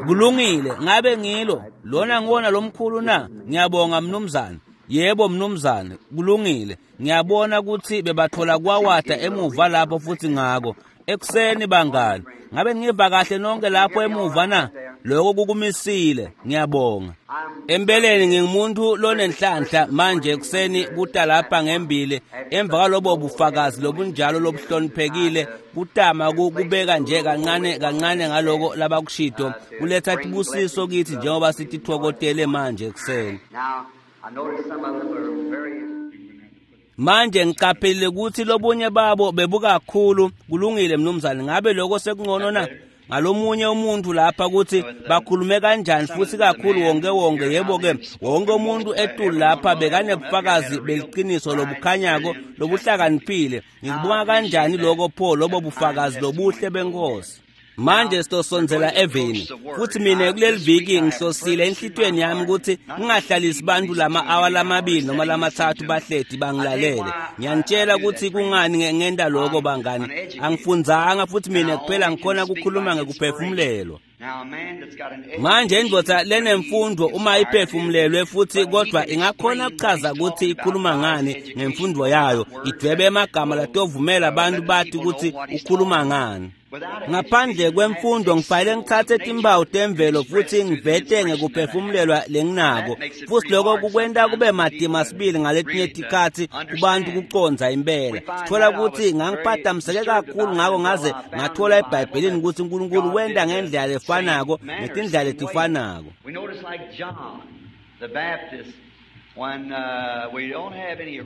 Kulungile, ngabe ngilo lona ngiwona lomkhulu na? Ngiyabonga mnumzane. Yebo mnumzane, kulungile. Ngiyabona ukuthi bebathola kwawata emuva lapho futhi ngako. Ekuseni bangani, ngabe ngiva kahle nonke lapho emuva na? Lokho kukumisile, ngiyabonga. Empeleni ngingumuntu lonenhlanhla manje ekuseni kuta lapha ngembili emva kwalobo bufakazi lobunjalo lobuhloniphekile kutama kubeka nje kancane kancane ngaloko labakushito kuletha tibusiso kithi njengoba sitithokotele manje ekuseni. Manje ngiqaphele ukuthi lobunye babo bebukakhulu. Kulungile mnumzane, ngabe lokho sekungcono na? Ngalomunye umuntu lapha ukuthi bakhulume kanjani futhi kakhulu wonke wonke. Yebo-ke, wonke umuntu etulu lapha bekanebufakazi beliqiniso lobukhanyako lobuhlakaniphile. Ngikubonga kanjani lokho pho lobo bufakazi lobuhle benkosi. Manje sitosondzela eveni futhi mina kuleli viki ngihlosile enhlitweni yami ukuthi ngingahlalisi bantu lama-awa lamabili noma lamathathu bahleti bangilalele. Ngiyanitshela ukuthi kungani ngenta lokho bangani. Angifundzanga futhi mina kuphela ngikhona ukukhuluma ngekuphefumulelwa. Manje indvodza lenemfundo uma iphefumulelwe futhi kodwa ingakhona kuchaza ukuthi ikhuluma ngani ngemfundo yayo, idwebe emagama latovumela abantu bathi ukuthi ukhuluma ngani. Ngaphandle kwemfundo ngifanele ngithathe timpawu temvelo futhi ngivete ngekuphefumulelwa lenginako, futhi lokho kukwenta kube matima sibili ngaletinye tikhatsi kubantu kucondza impela. Sithola ukuthi ngangiphathamiseke kakhulu ngako ngaze ngathola eBhayibhelini ukuthi uNkulunkulu wenta ngendlela lefanako netindlela letifanako.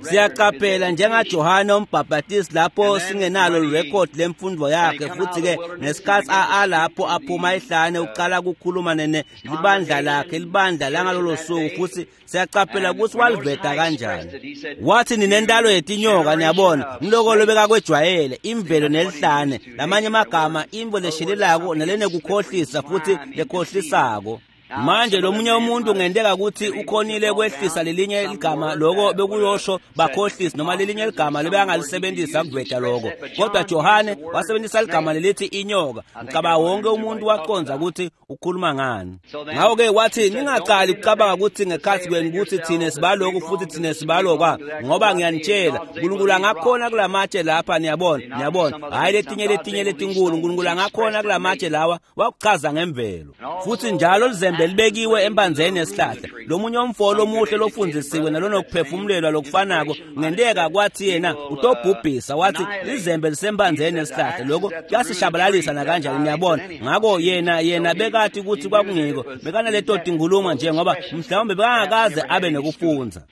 Siyaqaphela njengaJohane umbhaphatisi lapho singenalo irekhodi lemfundo yakhe, futhi-ke ngesikhathi alapho aphuma ehlane uqala ukukhuluma nene libandla lakhe, libandla langalolo suku, futhi siyaqaphela ukuthi waliveta kanjani. Wathi ninentalo yetinyoka, niyabona, ngiloko lobekakwejwayele, imvelo nelihlane, lamanye amagama imvo leshelelako nalenekukhohlisa futhi lekhohlisako. Manje lomunye umuntu ngenteka ukuthi ukhonile kwehlisa lelinye ligama, loko bekuyosho bakhohlisi noma lelinye ligama lebengalisebenzisa kuveta lokho, kodwa Johane wasebenzisa ligama lelithi inyoka. Ngicabanga wonke umuntu waqondza ukuthi ukhuluma ngani. Ngakho-ke wathi ningaqali ukucabanga ukuthi ngekhathi kwenu ukuthi thine sibaloku futhi thine sibalokwa, ngoba ngiyanitshela uNkulunkulu angakhona kulamatshe lapha, niyabona, niyabona, hhayi letinye letinye letinkulu, uNkulunkulu angakhona kulamatshe lawa wakuchaza ngemvelo. Futhi njalo lizembe libekiwe embanzeni yesihlahla. Lomunye umfo omuhle lofundzisiwe nalonokuphefumulelwa lokufanako ngenteka kwathi yena utobhubhisa, wathi lizembe lisembanzeni yesihlahla, lokho kuyasishabalalisa nakanjani, niyabona. Ngako yena bekathi ukuthi kwakungiko bekanaleto tinkhuluma nje ngoba mhlawumbe bekangakaze abe nekufundza.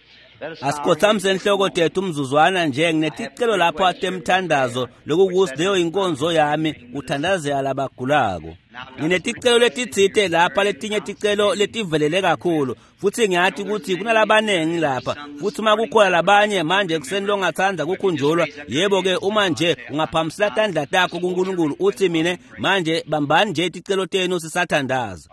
Asikhothamise inhloko tethu umzuzwana nje, ngineticelo lapho atemthandazo lokukuthi leyo inkonzo yami kuthandazela labagulako. Ngineticelo letitsite lapha, letinye ticelo letivelele kakhulu, futhi ngiyathi ukuthi kunalabanengi lapha, futhi uma kukhona labanye manje ekuseni longathanda kukhunjulwa, yebo-ke uma nje ungaphambisela tandla takho kuNkulunkulu uthi mina manje bambani nje ticelo tenu sisathandaza.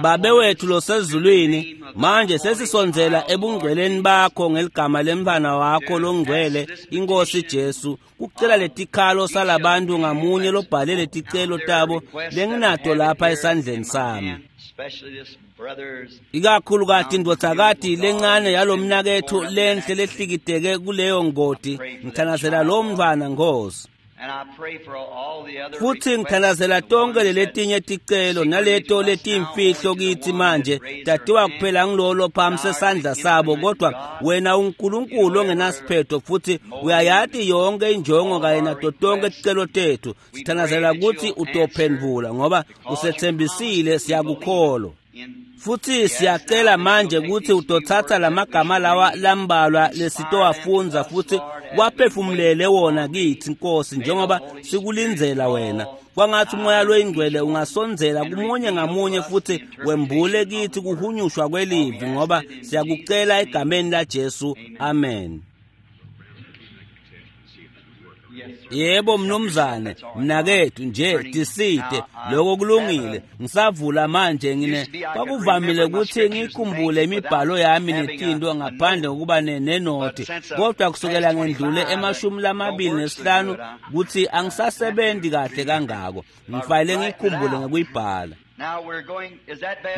Babe wethu losezulwini, manje sesisondzela ebungcweleni bakho ngeligama lemntfwana wakho longcwele inkosi Jesu, kucela letikhalo salabantu ngamunye lobhale leticelo tabo lenginato lapha esandleni sami. Ikakhulukati indvodzakati lencane yalomnaketfu lenhle lehlikiteke kuleyo ngoti, ngithandazela lo mntfwana Nkosi. Futhi ngithandazela tonke leletinye ticelo naleto letimfihlo kithi manje tatiwa kuphela ngilolo phambi sesandla sabo, kodwa wena uNkulunkulu ongenasiphetho futhi uyayati yonke injongo kanye nato tonke ticelo tethu. Sithandazela ukuthi utophendvula ngoba usethembisile, siyakukholwa. Futhi siyacela manje ukuthi utothatha lamagama lawa lambalwa lesitowafunza futhi waphefumulele wona kithi Nkosi, njengoba sikulindzela wena. Kwangathi umoya loyingcwele ungasondzela kumunye ngamunye futhi wembule kithi kuhunyushwa kwelivi, ngoba siyakucela egameni laJesu, amen. Yebo mnumzane, mnakethu nje tisite, lokho kulungile. Ngisavula manje ngine kwakuvamile ukuthi ngikhumbule imibhalo yami netinto ngaphandle kokuba nenothi, kodwa kusukela ngendlule e25 ukuthi angisasebenzi kahle kangako. Ngifanele ngikhumbule ngokuyibhala.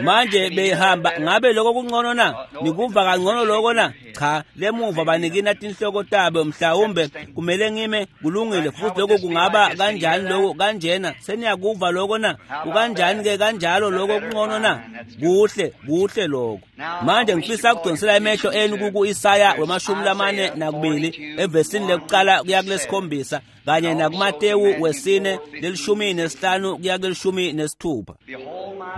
Manje behamba, ngabe lokho kungcono na? Nikuva kangcono lokho na? Cha, lemuva banikina tinhloko tabo, mhlawumbe kumele ngime. Kulungile. Futhi lokho kungaba kanjani lokho kanjena? Seniyakuva lokho na? Kukanjani ke kanjalo lokho kungcono na? Kuhle, kuhle lokho. Manje ngifisa ukudonsela emehlo enu ku-Isaya we-42 evesini lekuqala kuya kulesikhombisa kanye nakuMatewu 4 15 kuya ku-16.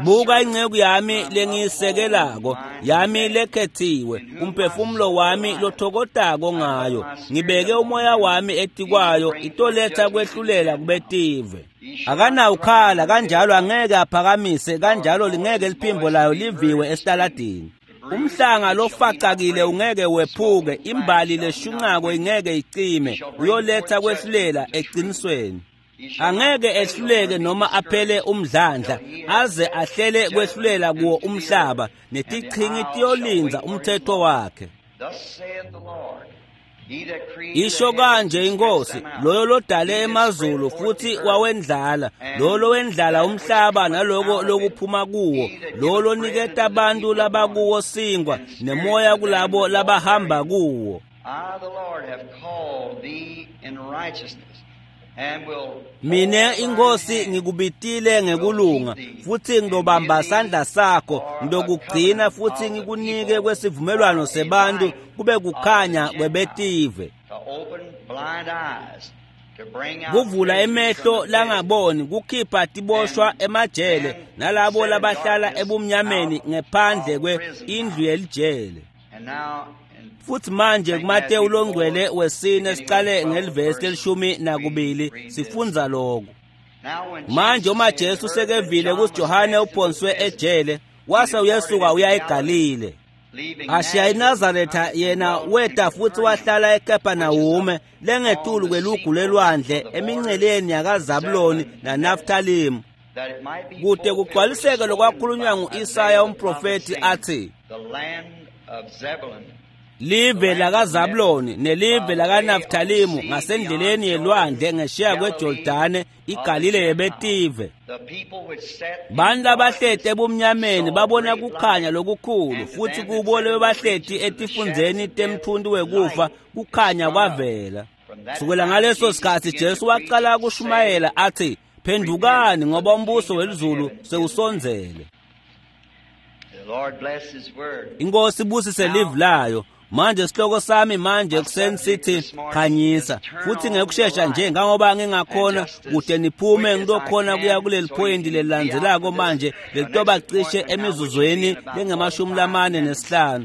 Buka inceku yami lengiyisekelako, yami lekhethiwe, umphefumulo wami lothokotako ngayo. Ngibeke umoya wami etikwayo, itoletha kwehlulela kubetive. Akanawukhala kanjalo angeke aphakamise, kanjalo lingeke liphimbo layo liviwe esitaladini. Umhlanga lofacakile ungeke wephuke, imbali leshunqako ingeke icime, uyoletha kwehlulela eqinisweni. Angeke ehluleke noma aphele umdlandla, aze ahlele kwehlulela kuwo umhlaba, netichingi tiyolinza umthetho wakhe. Isho kanje inkosi, loyo lodale emazulu futhi wawendlala, loyo lowendlala umhlaba naloko lokuphuma kuwo, loyo loniketa abantu labakuwo sinkwa nemoya kulabo labahamba kuwo. Mine inkosi ngikubitile ngekulunga, futhi ngizobamba sandla sakho, ngizokugcina futhi ngikunike kwesivumelwano sebantu kube kukhanya kwebetive. Kuvula emehlo langaboni, kukhipha tiboshwa emajele nalabo labahlala ebumnyameni ngephandle kwe indlu yelijele. Futhi manje kuMatewu longcwele 4 siqale ngelivesi le-12 sifundza lokho. Manje uma Jesu sekevile ukuthi Johane uphonswe ejele, wase uyesuka uya eGalile. Ashiya iNazaretha yena weta futhi wahlala eKapernaum lengetulu kwelugu lelwandle eminceleni yakaZabuloni naNaftalimu, kude kugcwaliseke lokwakhulunywa ngu-Isaya umprofethi athi, live lakaZabuloni nelive lakaNaftalimu ngasendleleni yelwandle ngesheya kweJordane, iGalile yebetive. Bantu labahleti ebumnyameni babona kukhanya lokukhulu, futhi kubo lebebahleti etifundzeni temthunti wekufa kukhanya kwavela. Sukela ngaleso sikhathi Jesu waqala kushumayela athi, phendukani ngoba umbuso welizulu sewusondzele. Inkosi ibusise live layo. Manje sihloko sami manje kuseni sithi khanyisa, futhi ngekushesha nje ngangoba ngingakhona kude niphume ngilokhona kuya kuleli phoyinti lelilandzelako manje lelitoba cishe emizuzweni lengama-45.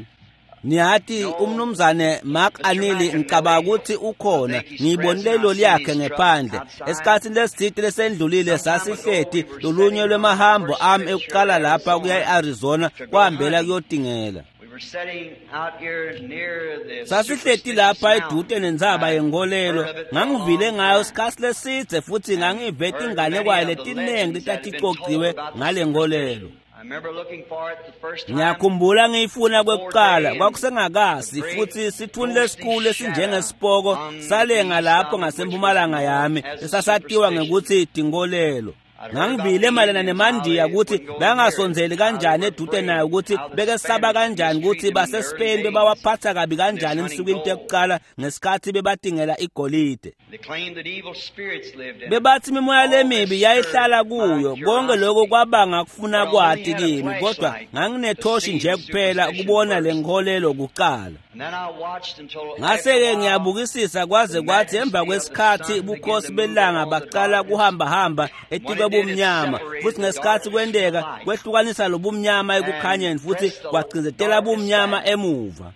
Niyati umnumzane Mark Anili ngicabanga ukuthi ukhona, ngiyibonile iloli yakhe ngephandle. Esikhathini lesithile lesendlulile sasihleti lolunye lwemahambo ami ekuqala lapha kuya e-Arizona kwahambela kuyotingela. Sasihleti lapha edude nentsaba yenkolelo, ngangivile ngayo isikhathi lesidze futhi ngangive tinganekwane letiningi letaticociwe ngale nkolelo. Ngiyakhumbula ngiyifuna kwekuqala, kwakusengakasi futhi sithuni lesikhulu esinjengesipoko salenga lapho ngasempumalanga yami esasatiwa ngekuthi tinkolelo. Ngangivile mayelana nemandiya ukuthi bangasondzeli kanjani edude nayo, ukuthi bekesaba kanjani ukuthi baseSpain bebawaphatha kabi kanjani emsukwini tekuqala ngesikhathi bebatingela igolide. Bebathi imimoya lemibi yayihlala kuyo. Konke lokho kwabanga kufuna kwati kimi, kodwa nganginethoshi nje kuphela ukubona le nkolelo kuqala. Ngase-ke ngiyabukisisa kwaze kwathi emva kwesikhathi bukhosi belanga baqala kuhambahamba etikwe bumnyama, futhi ngesikhathi kwenteka kwehlukanisa lobumnyama ekukhanyeni futhi kwagcizetela bumnyama emuva.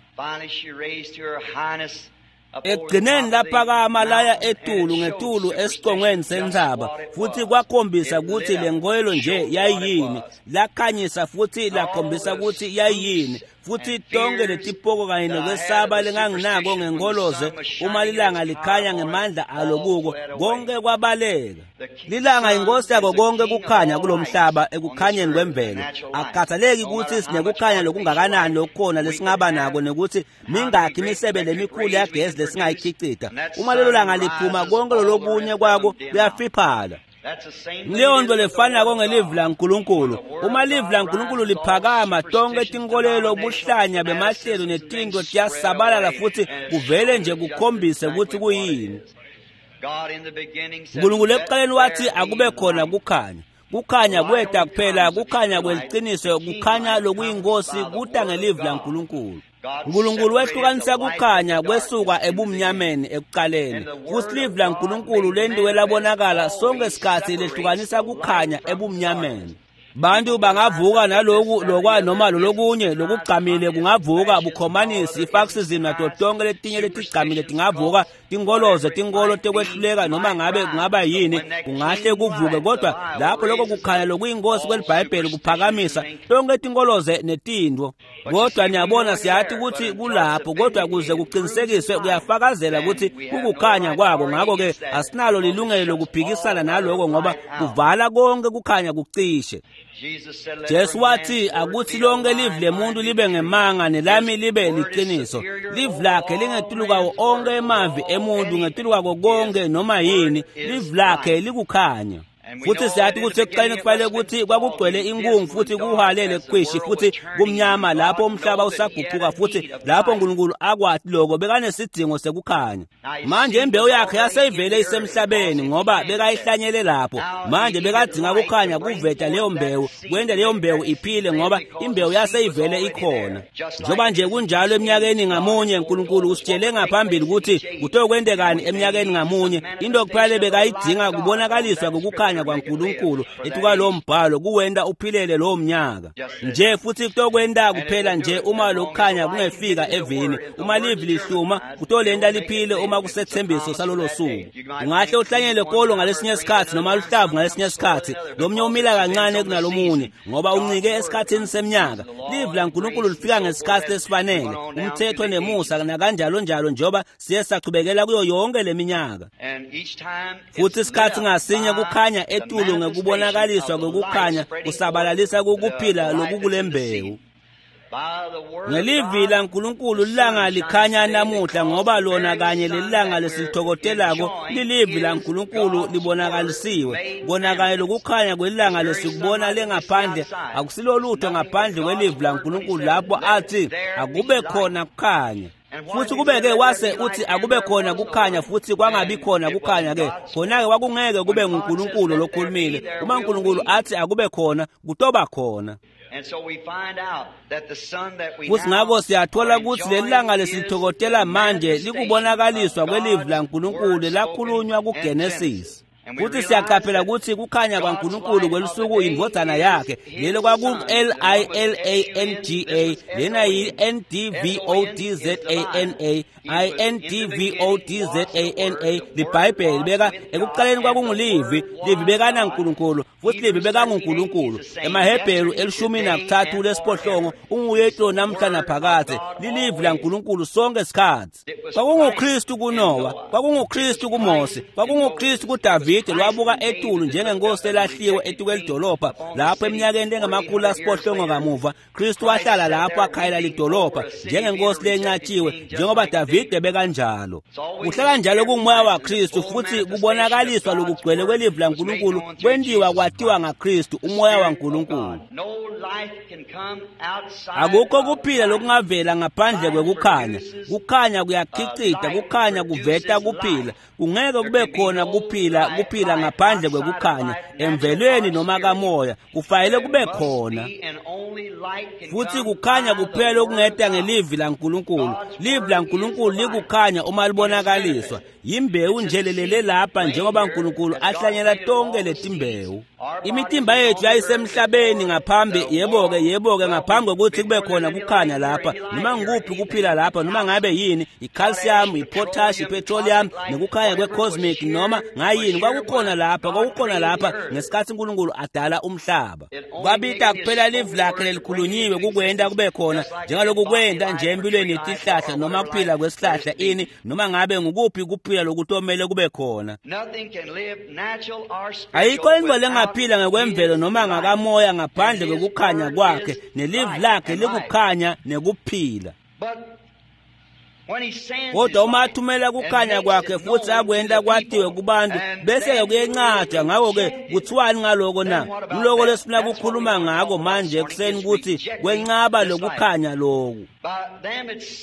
Ekugcineni laphakama laya etulu ngetulu esicongweni sentsaba, futhi kwakhombisa ukuthi le nkolelo nje yayiyini. Lakhanyisa futhi lakhombisa ukuthi yayiyini, Futhi tonke letipoko kanye nokwesaba lenganginako ngenkoloze uma lilanga likhanya ngemandla alo kuko, konke kwabaleka. Lilanga inkosi yako konke kukhanya kulomhlaba ekukhanyeni kwemvelo. Akukhathaleki ukuthi sinekukhanya lokungakanani lokukhona lesingaba nako nekuthi mingakhi imisebe lemikhulu yagesi lesingayikhicita. Uma lelo langa liphuma konke lolokunye kwako kuyafiphala. Leyo nto lefanako ngelivi laNkulunkulu. Uma livi laNkulunkulu liphakama, tonke tinkolelo, ubuhlanya bemahlelo netinto tiyasabalala futhi kuvele nje kukhombise ukuthi kuyini. Nkulunkulu ekuqaleni wathi akube khona kukhanya. Kukhanya kweta kuphela, kukhanya kweliciniso, kukhanya lokuyinkosi kuta ngelivi laNkulunkulu. Nkulunkulu wehlukanisa kukhanya kwesuka ebumnyameni ekuqaleni. Futhi livi laNkulunkulu lentiwe labonakala sonke sikhathi lehlukanisa kukhanya ebumnyameni. Bantu bangavuka naloku lokwa noma lolokunye lokugcamile kungavuka bukhomanisi, ifascism nato tonke letinye letigcamile tingavuka, tinkoloze, tinkolo tekwehluleka noma ngabe kungaba yini kungahle kuvuke, kodwa lapho lokho kukhanya lokuyinkosi kwelibhayibheli kuphakamisa tonke tinkoloze netintfo. Kodwa niyabona siyathi ukuthi kulapho, kodwa kuze kuqinisekiswe kuyafakazela ukuthi kukukhanya kwako. Ngakho-ke asinalo lilungelo lokuphikisana naloko ngoba kuvala konke kukhanya kucishe. Jesu wathi akuthi lonke livi lemuntu libe ngemanga nelami libe liqiniso. Livi lakhe lingetulu kwawo onke emavi emuntu, ngetulu kwako konke noma yini. Livi lakhe likukhanya. Futhi siyathi ukuthi ekuqaleni kufanele ukuthi kwakugcwele inkungu futhi kuhalele khwishi futhi kumnyama lapho umhlaba usaguquka, futhi lapho uNkulunkulu akwathi lokho bekanesidingo sekukhanya. Manje imbewu yakhe yaseyivele isemhlabeni ngoba bekayihlanyele lapho. Manje bekadzinga kukhanya kuveta leyo mbewu, kwenta leyo mbewu iphile ngoba imbewu yaseyivele ikhona. Njengoba nje kunjalo eminyakeni ngamunye, uNkulunkulu usitshele ngaphambili ukuthi kutokwendekani eminyakeni ngamunye. Into kuphela bekayidzinga kubonakaliswa kokukhanya kwaNkulunkulu etuka lo mbhalo kuwenta uphilele lowo mnyaka nje, futhi kutokwenta kuphela nje uma lokukhanya kungefika evini. Uma livi lihluma kutolenta liphile uma kusethembiso salolo suku. Ungahle uhlanyele kolo ngalesinye isikhathi noma luhlavu ngalesinye isikhathi, lomnye umila kancane kunalomunye ngoba uncike esikhathini seminyaka. Livi laNkulunkulu lifika ngesikhathi lesifanele, umthetho nemusa nakanjalo njalo, njengoba siye sachubekela kuyo yonke leminyaka. Futhi isikhathi ngasinye kukhanya etulu ngekubonakaliswa kwekukhanya kusabalalisa kukuphila lokukulembewu. Ngelivi laNkulunkulu lilanga likhanya namuhla ngoba lona kanye lelilanga lesilithokotelako lilivi laNkulunkulu libonakalisiwe. Kona kanye lokukhanya kwelilanga lesikubona lengaphandle akusilolutho ngaphandle kwelivi laNkulunkulu lapho athi akube khona kukhanya. Futhi kubeke wase uthi akube khona kukhanya futhi kwangabi khona kukhanya ke, khona-ke kwakungeke kube nguNkulunkulu lokhulumile. Uma uNkulunkulu athi akube khona, kutoba khona. Futhi ngakho siyathola ukuthi lelilanga lesilithokotela manje likubonakaliswa kwelivi laNkulunkulu lakhulunywa kuGenesis. Futhi siyaqaphela ukuthi kukhanya kwaNkulunkulu kwelusuku indvodzana yakhe, lelo kwaku-L-I-L-A-N-G-A, lena yi-N-D-V-O-D-Z-A-N-A, I-N-D-V-O-D-Z-A-N-A. Libhayibheli beka ekuqaleni kwakungulivi, livi bekanaNkulunkulu futhi livi bekanguNkulunkulu. EmaHebheru 13 lesiphohlongo unguye namhla naphakadze, lilivi laNkulunkulu sonke isikhathi. KwakunguKristu kuNowa, kwakunguKristu kuMose, kwakunguKristu kuDavide lwabuka etulu njengenkosi elahliwe etukwelidolobha lapho eminyakeni engama-800 kamuva Kristu wahlala lapho akhayela lidolobha njengenkosi lenqatshiwe njengoba Davide bekanjalo. Kuhlala njalo kungumoya waKristu futhi kubonakaliswa lokugcwele kwelivi laNkulunkulu kwentiwa kwatiwa ngaKristu, umoya waNkulunkulu. Akukho kuphila lokungavela ngaphandle kwekukhanya. Kukhanya kuyakhicita, kukhanya kuveta kuphila. Kungeke kube khona kuphila kuphila ngaphandle kwekukhanya emvelweni noma kamoya, kufanele kube khona. Futhi kukhanya kuphela okungeta ngelivi laNkulunkulu. Livi laNkulunkulu likukhanya uma libonakaliswa. Yimbewu nje lelele lapha njengoba uNkulunkulu ahlanyela tonke letimbewu. Imitimba yethu yayisemhlabeni ngaphambi, yebo-ke ngaphambi kokuthi kube khona kukhanya lapha, noma ngikuphi kuphila lapha, noma ngabe yini, i-calcium, i-potash, i-petroleum, nekukhanya kwe-cosmic noma ngayini, Kwakukhona lapha, kwakukhona lapha ngesikhathi uNkulunkulu adala umhlaba. Kwabita kuphela livi lakhe lelikhulunyiwe kukwenta kube khona, njengaloku kwenta nje empilweni yetihlahla noma kuphila kwesihlahla ini, noma ngabe ngukuphi kuphila lokutomele kube khona. Ayikho intfo lengaphila ngekwemvelo noma ngakamoya ngaphandle kwekukhanya kwakhe, nelivi lakhe likukhanya nekuphila. Kodwa uma athumela kukhanya kwakhe futhi akwenta kwatiwe kubantu, bese-ke kuyencatshwa. Ngakho-ke kuthiwani ngaloko na? Nguloko lesifuna kukhuluma ngako manje ekuseni, ukuthi kwencaba lokukhanya loku.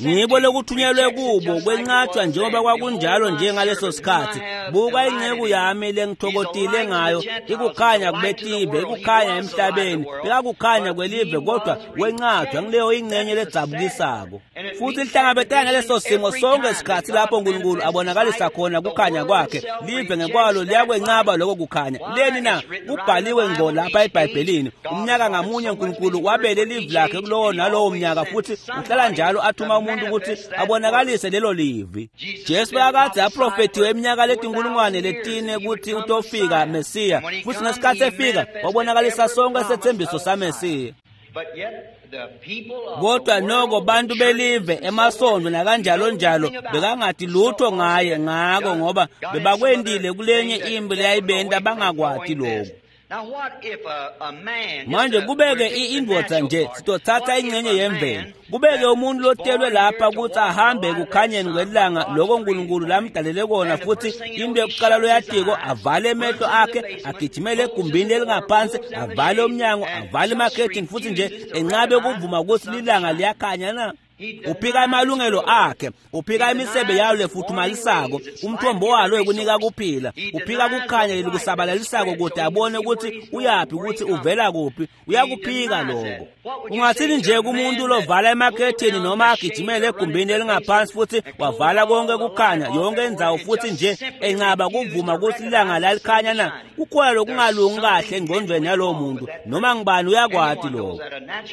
Ngibo lokuthunyelwe kubo kwencatshwa njengoba kwakunjalo njengaleso sikhathi. Buka inceku yami lengithokotile ngayo, ikukhanya kubetive, ikukhanya emhlabeni, bekakukhanya kwelive, kodwa kwencatshwa ngileyo ingcenye ledzabukisako. Futhi lihlangabetana ngaleso simo sonke isikhathi lapho uNkulunkulu abonakalisa khona kukhanya kwakhe, live ngekwalo liyakwencaba lokho kukhanya. Leni na? Kubhaliwe ngqo lapha eBhayibhelini. Umnyaka ngamunye uNkulunkulu wabele livi lakhe kulowo nalowo mnyaka, futhi uhlala njalo athuma umuntu ukuthi abonakalise lelo livi. Jesu bekakade aprofethiwe iminyaka letinkulungwane letine ukuthi utofika Mesiya, futhi ngesikhathi efika wabonakalisa sonke isethembiso saMesiya. Kodwa noko bantu belive emasondo nakanjalo njalo bekangati lutho ngaye, ngako ngoba bebakwendile kulenye impi leyayibenta bangakwati lokhu. Manje kubeke indvodza nje, sitothatha ingcenye yemvelo, kubeke umuntu lotelwe lapha ukuthi ahambe ekukhanyeni kwelanga loko uNkulunkulu lamdalele kona, futhi into yokuqala loyatiko avale emehlo akhe, agijimele egumbini elingaphansi, avale umnyango, avale emakhethini, futhi nje enqabe ukuvuma ukuthi lilanga liyakhanya na? Uphika amalungelo akhe, uphika imisebe yayo lefuthumalisako, umthombo walo ekunika kuphila, uphika kukhanya lekusabalalisako kude abone ukuthi uyaphi, ukuthi uvela kuphi, uyakuphika lokho. Ungathini nje kumuntu lovala emakhethini noma agijimele egumbini elingaphansi futhi wavala konke kukhanya yonke indzawo, futhi nje encaba kuvuma ukuthi ilanga lalikhanya na? Kukhona lokungalungi kahle engqondweni yalowo muntu, noma ngibani uyakwati lokho.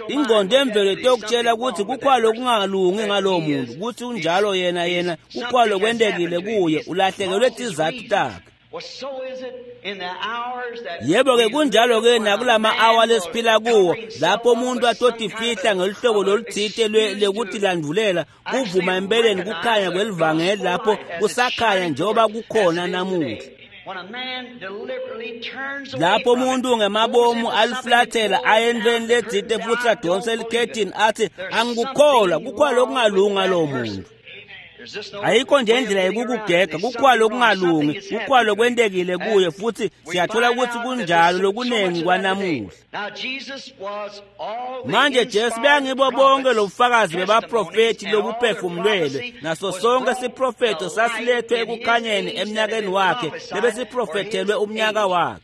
Ingqondo emvelo itokutshela ukuthi kukhona lokungalungi ngalowo muntu, ukuthi unjalo yena yena kukhona lokwentekile kuye, ulahlekelwe tizathu takhe. Yebo-ke kunjalo-ke nakulama awa lesiphila kuwo, lapho umuntu atotifihla ngeluhlobo lolutsite lekutilandvulela kuvuma empeleni kukhanya kwelivangeli lapho kusakhanya njengoba kukhona namuhla. Lapho umuntu ngemabomu alifulathela aye entweni letsite futhi adonse elikhethini athi angikukholwa, kukhona lokungalungi ngalowo muntu. Ayikho nje indlela yekukugega, kukhona lokungalungi, kukhona lokwentekile kuye, futhi siyathola ukuthi kunjalo lokunengi kwanamuhla. Manje Jesu beyangibo bonke lobufakazi bebaprofethi lobuphefumulelwe, naso sonke siprofetho sasilethwe ekukhanyeni emnyakeni wakhe lebesiprofethelwe umnyaka wakhe.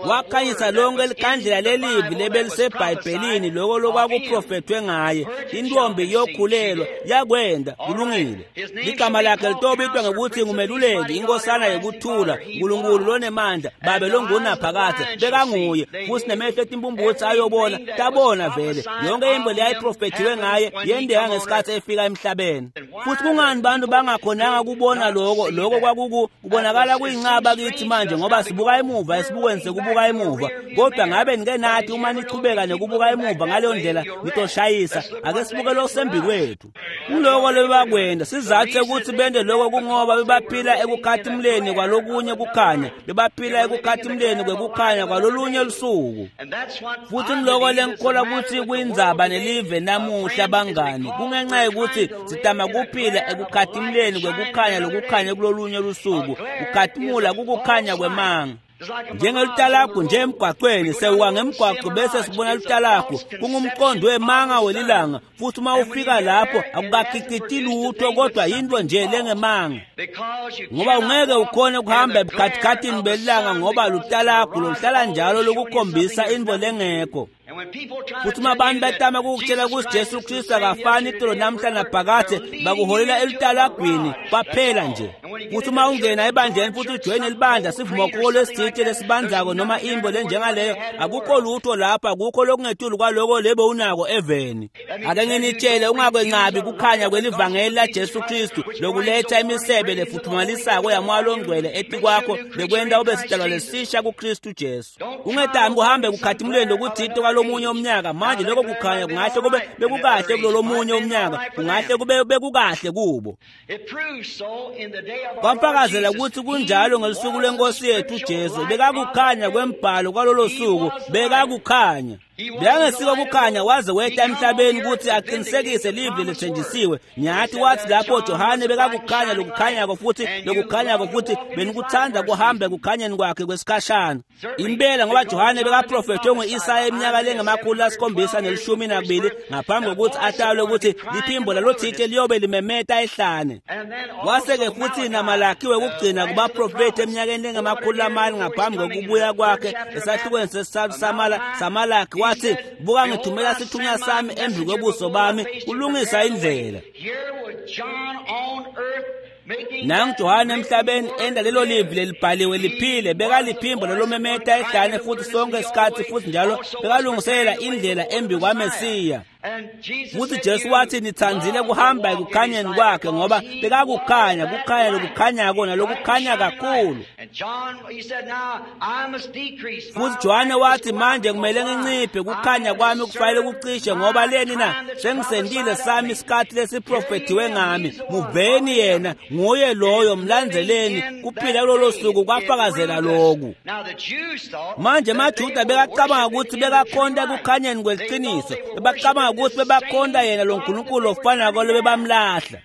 Wakhanyisa lonke likhandlela lelivi lebelisebhayibhelini loko lokwakuprofethwe ngaye. Intombi iyokhulelwa, yakwenda, kulungile. Ligama lakhe litobitwa ngekuthi ngumeluleki, inkosana yekuthula, uNkulunkulu lonemandla, babe longunaphakadze. Bekanguye, futhi nemehlo etimpumputsi ayobona, tabona vele. Yonke into leyayiprofethiwe ngaye yenteka ngesikhathi efika emhlabeni. Futhi kungani bantu bangakhonanga kubona loko? Loko kwakukubonakala kuyincaba kithi manje, ngoba sibuka emuva esibukweni sekubuka emuva. Kodwa ngabe nike nathi uma nichubeka nekubuka emuva ngaleyo ndlela nitoshayisa. Ake sibuke losembi kwethu. Kuloko lebebakwenda, sizathu sekuthi bende loko kungoba bebaphila ekukhatimuleni kwalokunye kukhanya, bebaphila ekukhatimuleni kwekukhanya kwalolunye lusuku. Futhi ngiloko lengikholwa ukuthi kuyindzaba nelive namuhla bangani, kungenxa yokuthi sitama kuphila ekukhatimuleni kwekukhanya lokukhanya kulolunye lusuku. Kukhatimula kukukhanya kwemanga. Njengelutalagu nje emgwaqweni, sewuka ngemgwaqo bese sibona lutalagu, kungumqondo wemanga welilanga, futhi uma ufika lapho akukakhiciti lutho kodwa yinto nje lengemanga, ngoba ungeke ukhone ukuhamba ebukhathikhathini belilanga ngoba lutalagu loluhlala njalo lokukhombisa into lengekho. Futhi uma abantu betama ukukutshela ukuthi Jesu Kristu akafani itolo namhla naphakade, bakuholela elutalagwini kwaphela nje. Futhi uma ungena ebandleni futhi ujoyine libandla sivumokholo esithile lesibanzako noma imbo lenjengaleyo, akukho lutho lapha, akukho lokungetulu kwaloko lebo unako eveni. Ake nginitshele, ungakwenqabi kukhanya kwelivangeli laJesu Kristu lokuletha imisebe lefuthumalisako yaMoya loNgcwele etikwakho lekwenta ube sidalwa lesisha kuKristu Jesu. Ungetami kuhambe kukhatimulweni lokuthile kwalomunye umnyaka. Manje lokho kukhanya kungahle kube bekukahle kulolomunye umnyaka, kungahle kube bekukahle kubo. Kwafakazela ukuthi kunjalo ngelusuku lwenkosi yethu Jesu. Bekakukhanya kwembhalo kwalolo suku, bekakukhanya. Bekangesiko kukhanya waze weta emhlabeni ukuthi aqinisekise livi lethenjisiwe. Nyathi wathi lapho Johane bekakukhanya lokukhanyako futhi lokukhanyako futhi benikuthanda kuhambe kukhanyeni kwakhe kwesikhashana. Impela ngoba Johane bekaprofethwe ngo-Isaya eminyaka lengama-712 ngaphambi kokuthi atalwe ukuthi liphimbo lalothile liyobe limemeta ehlane. Wase-ke futhi naMalaki wekugcina kubaprofethi eminyakeni lengama-400 ngaphambi kokubuya kwakhe esahlukweni sesithathu saMalaki wathi, buka ngithumela sithunywa sami embi kwebuso bami kulungisa indlela. Nangu Johane emhlabeni enda lelo livi lelibhaliwe liphile, bekaliphimbo lolomemeta ehlane futhi sonke isikhathi futhi njalo bekalungiselela indlela embi kwaMesiya. Futhi Jesu wathi nithandzile kuhamba ekukhanyeni kwakhe ngoba bekakukhanya, kukhanya lokukhanyako nalokukhanya kakhulu. Futhi Johane wathi manje kumele nginciphe, kukhanya kwami kufanele kucishe ngoba leni na sengisendile sami isikhathi lesiprofethiwe ngami. Muveni yena, nguye loyo, mlandzeleni. Kuphila kulolo suku kwafakazela loku. Manje amaJuda bekacabanga ukuthi bekakhonta ekukhanyeni kweliciniso, bebacabanga ukuthi bebakhonta yena lo nkulunkulu ofanako lobebamlahla.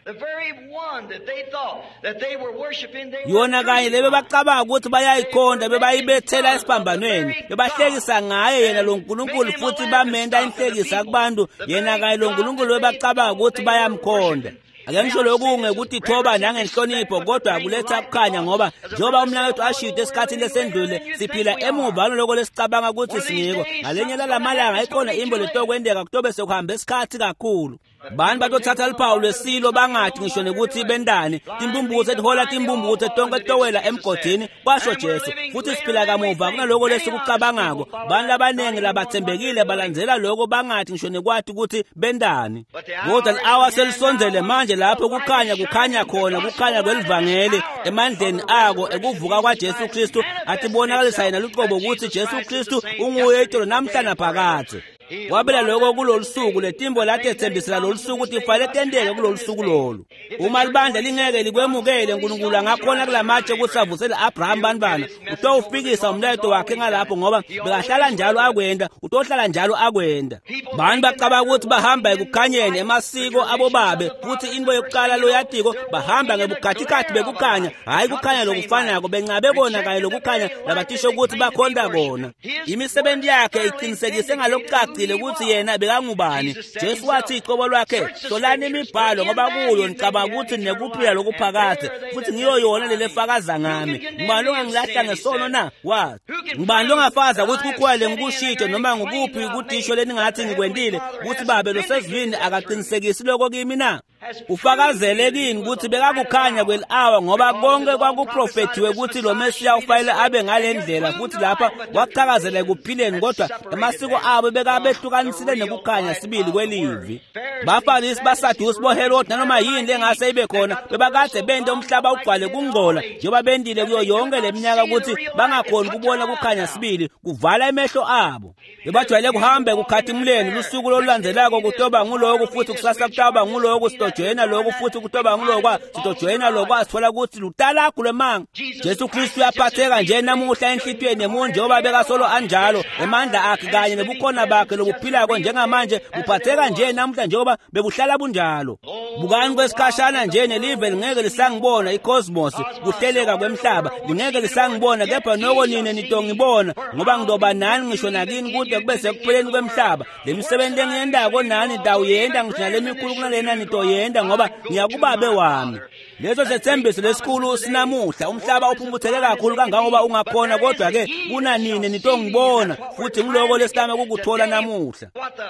Yona kanye lebebacabanga ukuthi bayayikhonta bebayibethela esiphambanweni, bebahlekisa ngaye yena lo nkulunkulu futhi bamenta inhlekisa kubantu, yena kanye lo nkulunkulu bebacabanga ukuthi bayamkhonta. Ake ngisho lokhu ngekutithoba nangenhlonipho, kodwa kuletha kukhanya ngoba njengoba umnakethu ashito esikhathini lesendlule, siphila emuva naloko lesicabanga ukuthi singiko. Ngalenye lalamalanga ikhona imbo letokwenteka kutobe sekuhambe isikhathi kakhulu. Bani batothatha luphawu lwesilo bangathi ngisho nekuthi bendani, timbumbutse tihola timbumbutse tonke towela emgodini, kwasho Jesu. Futhi siphila kamuva kunaloko lesikucabangako. Bantu labaningi labathembekile balandzela loko bangathi ngisho nekwathi ukuthi bendani. Kodwa li-awa selisondzele manje lapho kukhanya kukhanya khona, kukhanya kwelivangeli emandleni ako ekuvuka kwaJesu Kristu atibonakalisa yena luqobo ukuthi Jesu Kristu unguye itolo namhla naphakadze. Wabela lokho kulolu suku, letimbo latethembisela lolu suku tifanele tenteke kulolu suku lolu. Uma libandla lingeke likwemukele, uNkulunkulu angakhona kulamatshe ukuthi avusele Abraham bantwana. Utowufikisa umlayeto wakhe ngalapho ngoba bekahlala njalo akwenda, utohlala njalo akwenda. Bantu bacabanga ukuthi bahamba ekukhanyeni emasiko abobabe, futhi into yokuqala loyatiko bahamba ngebukhathikhathi bekukhanya, hhayi kukhanya lokufanako, bencabe kona kanye lokukhanya labatisho ukuthi bakhonta kona. Imisebenzi yakhe iqinisekise ngalokucacile ukuthi yena bekangubani. Jesu wathi icobo lwakhe, hlolani imibhalo ngoba kuyo nicabanga ukuthi nekuphila lokuphakade, futhi ngiyo yona lelefakaza ngami. Ngubani ongangilahla ngesono na? Wathi, ngubani longafakaza ukuthi kukhona lengikushito noma ngukuphi kudisho leningathi ngikwentile ukuthi Babe losezulwini akaqinisekisi lokho kimi na? Ufakazele kini ukuthi bekakukhanya kweli-awa ngoba konke kwakuprofethiwe ukuthi lo Mesiya ufanele abe ngale ndlela, futhi lapha wachakazela ekuphileni, kodwa emasiko abo bekabehlukanisile nekukhanya sibili kwelivi. Bafarisi, baSadusi, boHerode nanoma yini lengase ibe khona bebakade bente umhlaba ugcwale kungcola njengoba bendile kuyo yonke le minyaka ukuthi bangakhoni kubona kukhanya sibili, kuvala emehlo abo. Bebajwayele kuhambe kukhatimuleni lusuku lolulandzelako kutoba nguloku futhi kusasa kutawuba nguloku, sitojoyina loku futhi kutoba ngulokwa, sitojoyina lokwa, sithola ukuthi lutalakho lwemanga. Jesu Kristu uyaphatheka nje namuhla enhlitiyweni yemuntu njengoba bekasolo anjalo, emandla akhe kanye nobukhona bakhe lobuphilako njengamanje buphatheka nje namuhla njengoba bekuhlala bunjalo. Bukani kwesikhashana nje nelive lingeke lisangibona, icosmos, kuhleleka kwemhlaba lingeke lisangibona, kepha noko nine nitongibona ngoba ngidoba nani ngisho nakini kude kube sekupheleni kwemhlaba. Le misebenzi lengiyentako nani nitawuyenta ngisho nalemikhulu kunalena nitoyenta ngoba ngiyakubabe wami. Leso sethembiso lesikhulu sinamuhla. Umhlaba uphumputheke kakhulu kangangoba ungakhona, kodwa ke kunanini nitongibona, futhi ngiloko lesitama kukuthola namuhla.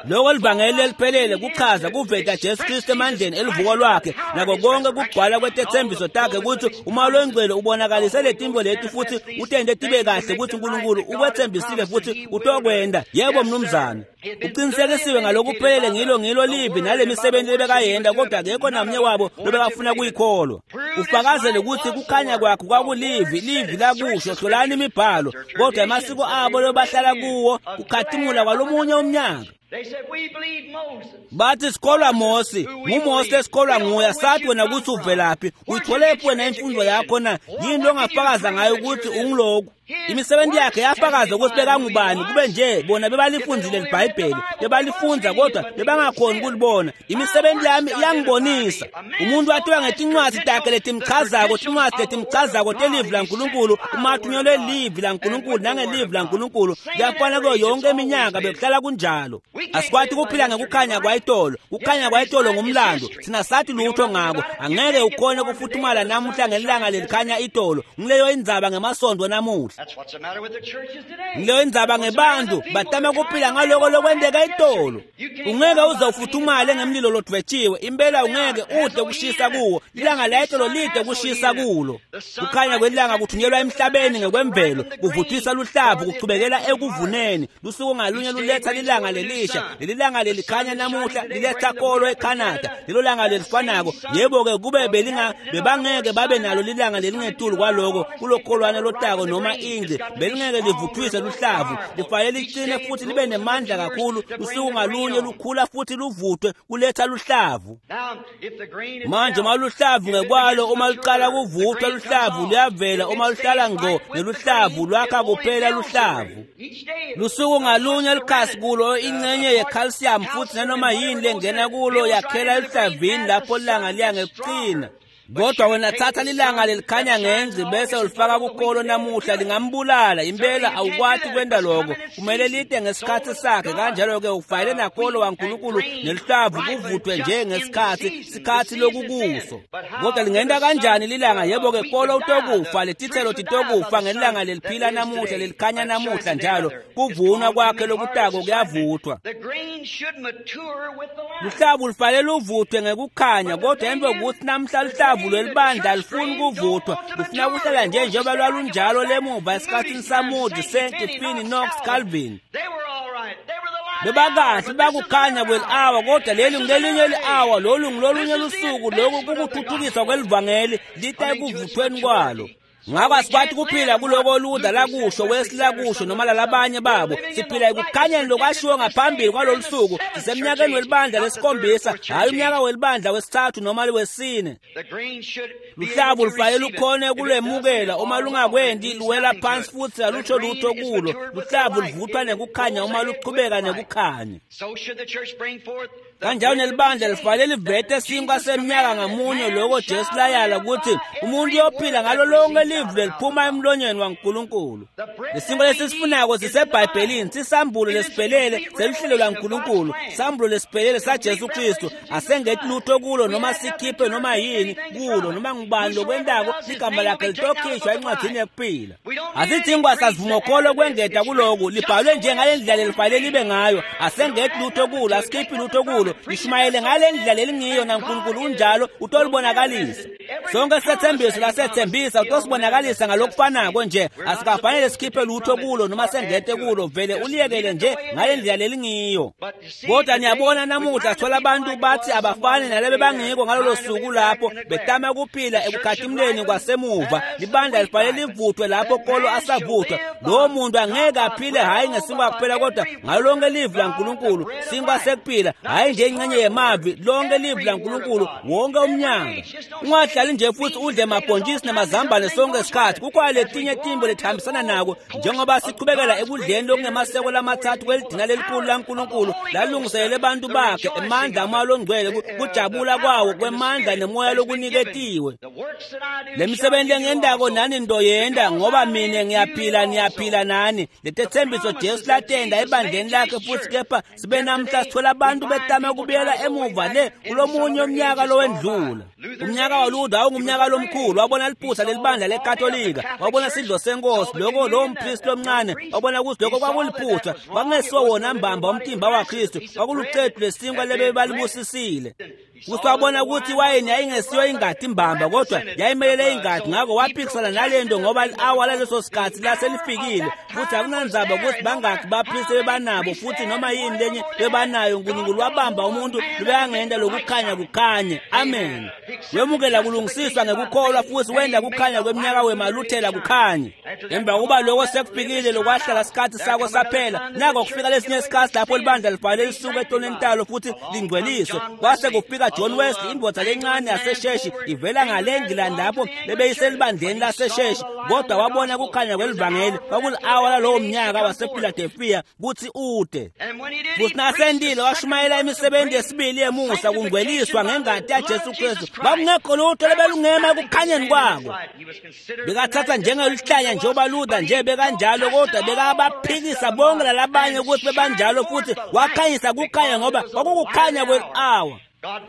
Loko livangeli leliphelele kuchaza kuveta Jesu Kristu emandleni elivuko lwakhe nako konke kugcwala kwetethembiso takhe, ukuthi uma longcwele ubonakalise letinto leti futhi utente tibe kahle ukuthi uNkulunkulu ukwethembisile futhi utokwenda. Yebo mnumzane, uqinisekisiwe ngalokuphelele ngilo livi nale misebenzi lebekayenda, kodwa akekho namnye wabo lobekafuna kuyikholwa. Ufakazele ukuthi kukhanya kwakhe kwakulivi, livi lakusho, hlolani imibhalo, kodwa amasiko abo lobahlala kuwo kukhatimula kwalomunye umnyaka. Bathi sikholwa Mosi, nguMosi lesikholwa nguye, sathi wena ukuthi uvelaphi, uyitholephi wena imfundo yakho na? Yini longafakaza ngayo ukuthi ungiloku? Imisebenzi yakhe yafakaza ukuthi bekangubani, kube nje bona bebalifunzile iBhayibheli, bebalifunza kodwa bebangakhoni ukulibona. Imisebenzi yami iyangibonisa. Umuntu wathiwa ngetincwadi takhe letimchazako, tincwadi letimchazako telivi laNkulunkulu, uma athunyelwe livi laNkulunkulu nangelivi laNkulunkulu, kuyafana kuyo yonke iminyaka bekuhlala kunjalo. Asikwati kuphila ngekukhanya kwayitolo. Kukhanya kwayitolo ngumlando, sina sathi lutho ngako. Angeke ukhone kufuthumala namuhla ngelanga lelikhanya itolo. Ngileyo indzaba ngemasondo namuhla. Ngileyo indzaba ngebantu batama kuphila ngaloko lokwenteka itolo. Ungeke uze ufuthumale ngemlilo lodvwetshiwe, impela ungeke ude kushisa kuwo. Ilanga la itolo lide kushisa kulo. Kukhanya kwelanga kuthunyelwa emhlabeni ngekwemvelo, kuvuthisa luhlavu kuchubekela ekuvuneni. Lusuku ngalunye luletha lilanga lelisha. Leli langa lelikhanya namuhla liletha kolo eCanada. Lelo langa lelifanako, yebo-ke kube bebangeke babe nalo lilanga lelingetulu kwaloko kulokholwane lotako noma ingci, belingeke livuthwise luhlavu, lifanele liqine futhi libe nemandla kakhulu. Lusuku ngalunye lukhula futhi luvuthwe kuletha luhlavu. Manje uma luhlavu ngekwalo, uma luqala kuvuthwa luhlavu luyavela, uma luhlala ngqo neluhlavu lwakha kuphela luhlavu. Lusuku ngalunye likhasi kulo ingcenye ye-calcium futhi nanoma yini lengena kulo yakhela eluhlavini lapho ilanga liya ngekuqina. Kodwa wena thatha lilanga lelikhanya ngenzi bese ulifaka kukolo namuhla, lingambulala impela. Awukwati kwenta lokho, kumele lide ngesikhathi sakhe. Kanjalo-ke ufayele nakolo waNkulunkulu neluhlavu kuvuthwe nje ngesikhathi sikhathi lokukuso. Kodwa lingenta kanjani lilanga? Yebo-ke kolo utokufa, letithelo titokufa ngelanga leliphila namuhla lelikhanya namuhla njalo. Kuvunwa kwakhe lokutako kuyavuthwa. Luhlavu lufanele luvuthwe ngekukhanya, kodwa emva kokuthi namhla luhlavu lwelibandla alifuni kuvuthwa, lufuna kuhlala nje njengoba lwalunjalo lemuva esikhathini saMoody, Sankey, Finney, Knox, Calvin. Bebakahle bakukhanya kweli-awa, kodwa leli ngulelinye li-awa, lolu ngulolunye lusuku. Lokhu kukuthuthukiswa kwelivangeli lita ekuvuthweni kwalo. Ngakho asikwati kuphila kuloko Luther lakusho, Wesley lakusho, noma lalabanye babo. Siphila ekukhanyeni lokwashiwo ngaphambili kwalolu suku. Sisemnyakeni welibandla lesikhombisa, hhayi umnyaka welibandla wesithathu noma wesine. Luhlavu lufanele lukhone kulwemukela, uma lungakwendi luwela phansi futhi alutsho lutho kulo. Luhlavu luvuthwa nekukhanya uma luchubeka nekukhanya. Kanjalo nelibandla lifanele livete sinkwa semnyaka ngamunye, loko Jesu layala ukuthi umuntu uyophila ngalo lonke livi leliphuma emlonyeni waNkulunkulu. Lesinkwa lesisifunako siseBhayibhelini, sisambulo lesiphelele seluhlelo lwaNkulunkulu, sambulo lesiphelele saJesu Kristu. Asengeti lutho kulo noma sikhiphe noma yini kulo, noma ngubani lokwentako ligama lakhe litokhishwa encwadzini yekuphila. Asidingwa sasivumokholo kwengeta kuloku, libhalwe nje ngale ndlela lelifanele libe ngayo. Asengeti lutho kulo, asikhiphi lutho kulo, lishumayele ngale ndlela lelingiyo, naNkulunkulu unjalo utolibonakalisa. Sonke sethembiso lasethembisa utosibonakalisa ngalokufanako nje. Asikafanele sikhiphe lutho kulo noma sengete kulo, vele uliyekele nje ngale ndlela lelingiyo. Kodwa niyabona namuhla sithola abantu bathi abafani nalebe bangiko ngalolo suku lapho betama kuphila ekukhatimleni kwasemuva. Libandla lifanele livuthwe lapho kolo asavuthwa. Lowo muntu angeke aphile hhayi ngesinkwa kuphela, kodwa ngalo lonke livi laNkulunkulu, sinkwa sekuphila, hhayi nje ingxenye yemavi, lonke livi laNkulunkulu wonke umnyaka. Ungahlali nje futhi udle mabhontshisi namazambane sonke isikhathi. Kukhona letinye timbo letihambisana nako, njengoba sichubekela ekudleni lokungemaseko lamathathu kwelidina lelikhulu laNkulunkulu lalungiselele abantu bakhe, emandla amoya longcwele, kujabula kwawo kwemandla nemoya lokuniketiwe. Le misebenzi engendako nani ndoyenda, ngoba mina ngiyaphila niyaphila nani. Letethembiso Jesu latenda ebandleni lakhe futhi, kepha sibe namhla sithola abantu betama ukubuyela emuva le kulomunye umnyaka lowendlula. Umnyaka waLuther Wawungumnyaka lomkhulu, wabona liphutha lelibandla leKatolika, wabona sidlo senkosi, lokho lowo mpristi lomncane wabona ukuthi lokho kwakuliphutha, kwakungesiwo wona mbamba umtimba waKristu, kwakulucetu lesinkwa lebebalibusisile. Futhi wabona ukuthi iwayini yayingesiyo ingadi imbamba, kodwa yayimelele ingadi. Ngakho waphikisana nalento ngoba i-awa laleso sikhathi laselifikile, futhi akunandzaba ukuthi bangaki baphrise bebanabo futhi noma yini lenye bebanayo. uNkulunkulu wabamba umuntu lobekangenta lokukhanya kukhanye. Amen. Wemukela kulungisiswa ngekukholwa futhi wenda kukhanya kweminyaka wemaluthela kukhanye. Emva kokuba lokho sekufikile, lokwahlala sikhathi sako saphela, nako kufika lesinye isikhathi lapho libandla lifanele lisuke etoneni talo futhi lingcweliswe. Kwase kufika John Wesley, indvodza lencane yasesheshi ivela ngale eNgilandi lapho bebeyiselibandleni lasesheshi, kodwa wabona kukhanya kwelivangeli kwakuli-awa lalowo mnyaka wasePhiladelphia kuthi ude. Futhi nasendile washumayela imisebenzi yesibili yemusa, kungcweliswa ngengati yaJesu Kristu. Kwakungekho lutho lebelungema ekukhanyeni kwako. Bekathatha njengeluhlanya njengoba Luther nje bekanjalo, kodwa bekabaphikisa bonke lalabanye ukuthi bebanjalo, futhi wakhanyisa kukhanya ngoba kwakukukhanya kwe-awa.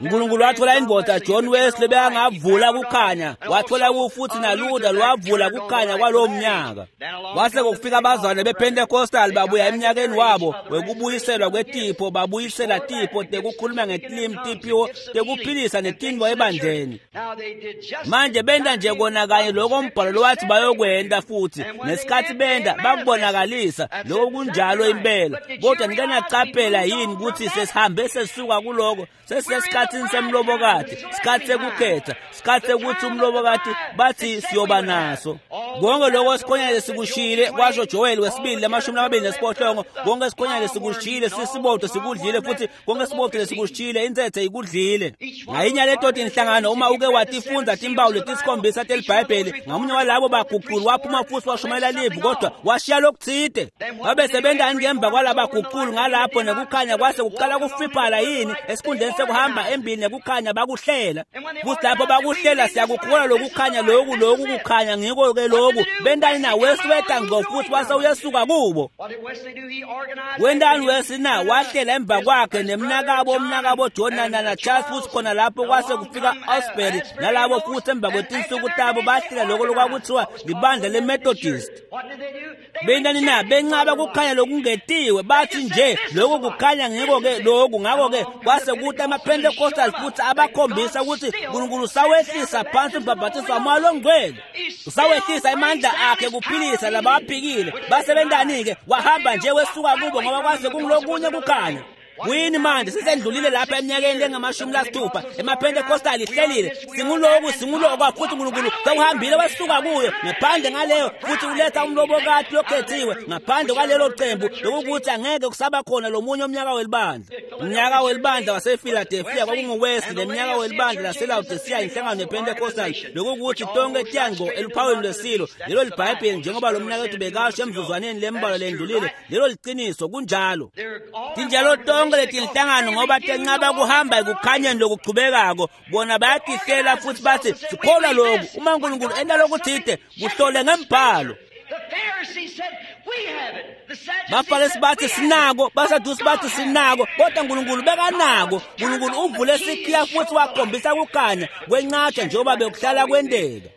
uNkulunkulu wathola indvodza John Wesley bekangavula kukhanya, wathola futhi naLuther lwavula kukhanya kwalowo mnyaka. Kwase kufika abazalwane bePentecostal babuya eminyakeni wabo wekubuyiselwa kwetipho, babuyisela tipho tekukhuluma ngetilimi, tiphiwo tekuphilisa netintfo ebandleni. Manje benta nje kona kanye lokho umbhalo lowathi bayokwenta, futhi nesikhathi benta bakubonakalisa lokho kunjalo impela. Kodwa nike naqaphela yini ukuthi sesihambe sesuka kuloko, sesisesikhathini semlobokati, sikhathi sekukhetha, sikhathi sekuthi umlobokati bathi siyoba naso konke lokho sikhonyane sikushiyile, kwasho Joel wesibili 28, konke sikhonyane sikushiyile, sisibodwe sikudlile, futhi konke sibodwe sikushiyile, intsetse ikudlile. Ngayinye leto tinhlangano, uma uke watifundza timpawu letisikhombisa telibhayibheli, ngamunye walabo baguquli waphuma futhi washumayela livi, kodwa washiya lokutsite. Babe sebentani ngemva kwalabaguquli ngalapho nekukhanya kwase kuqala kufiphala yini esikhundleni sekuhamba embili nekukhanya bakuhlela. Futhi lapho bakuhlela, siyakukholwa lokukhanya loku, loku kukhanya ngiko ke loku. Bentani na? Wesley weta ngco futhi wase uyesuka kubo. Wentani Wesley na? Wahlela emva kwakhe nemnakabo, umnakabo John na Charles, futhi khona lapho kwase kufika Asbury nalabo, futhi emva kwetinsuku tabo bahlela lokho lokwakuthiwa libandla leMethodist. Bentani na? Bencaba kukhanya lokungetiwe, bathi nje lokhu kukhanya ngiko ke lokhu. Ngakho ke kwase kuthi amaPentecostal futhi abakhombisa ukuthi uNkulunkulu usawehlisa phansi umbhabhathiso waMoya loNgcwele, usawehlisa amandla akhe kuphilisa labaphikile. Basebentani-ke? Wahamba nje wesuka kubo ngoba kwase kungulokunye kukhanya. Kuyini manje? Sesendlulile lapha eminyakeni lengamashumi lasithupha, emaPentecostal ihlelile, singuloku singulokwa, futhi uNkulunkulu sewuhambile wesuka kuyo ngaphandle ngaleyo, futhi uletha umlobokati lokhethiwe ngaphandle kwalelo cembu, lokukuthi angeke kusaba khona lomunye umnyaka welibandla. Umnyaka welibandla wasePhiladelphia kwakunguWesley, neminyaka welibandla laseLaodicea inhlangano yePentecostal, lokukuthi tonke tiyango eluphawini lwesilo. Lelo libhayibheli, njengoba lo mnakethu bekasho emzuzwaneni lembalwa lendlulile, lelo liciniso, kunjalo. Tinjalo tonke letinhlangano ngoba tenqaba kuhamba ekukhanyeni lokuchubekako. Bona bayatihlela futhi bathi sikholwa lokhu. Uma uNkulunkulu enta lokuthide, kuhlole ngembhalo. Bafarisi bathi sinako, baSadusi bathi sinako, kodwa uNkulunkulu bekanako. uNkulunkulu uvule sikhiya futhi wakhombisa kukhanya kwenqatsha njengoba bekuhlala kwenteka.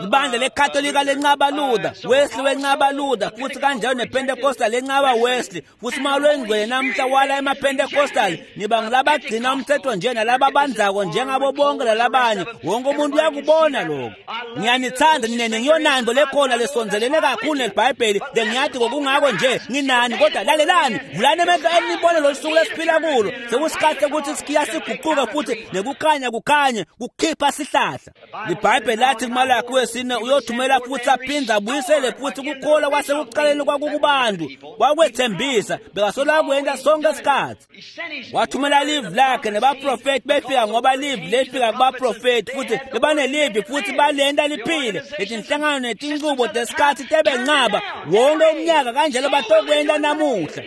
Libandla leKatolika lencaba Luther, Wesley wencaba Luther, futhi kanjalo nePentecostal lencaba Wesley, futhi uma lwengcwele namhla wala emaPentecostal, niba ngilabagcina umthetho nje nalababanzako njengabo bonke lalabanye. Wonke umuntu uyakubona lokho. Ngiyanithanda nina, ngiyonando lekhona lesonzelene kakhulu nelibhayibheli, lengiyathi kokungako nje nginani, kodwa lalelani, vulani emehlo enibone lolu suku lesiphila kulo. Sekusikhathi sekuthi sikhiya siguquke futhi nekukhanya kukhanye kukhipha sihlahla. Libhayibheli lathi kuMalaki wesine uyothumela futhi aphinde abuyisele futhi kukholwa kwasekuqaleni kwakukubantu. Wakwethembisa, bekasolo akwenta sonke isikhathi. Wathumela livi lakhe nebaprofethi befika, ngoba livi lefika kubaprofethi, futhi bebanelivi futhi balenta liphile. Letinhlangano netincubo tesikhathi tebencaba wonke umnyaka, kanjalo batokwenta namuhla.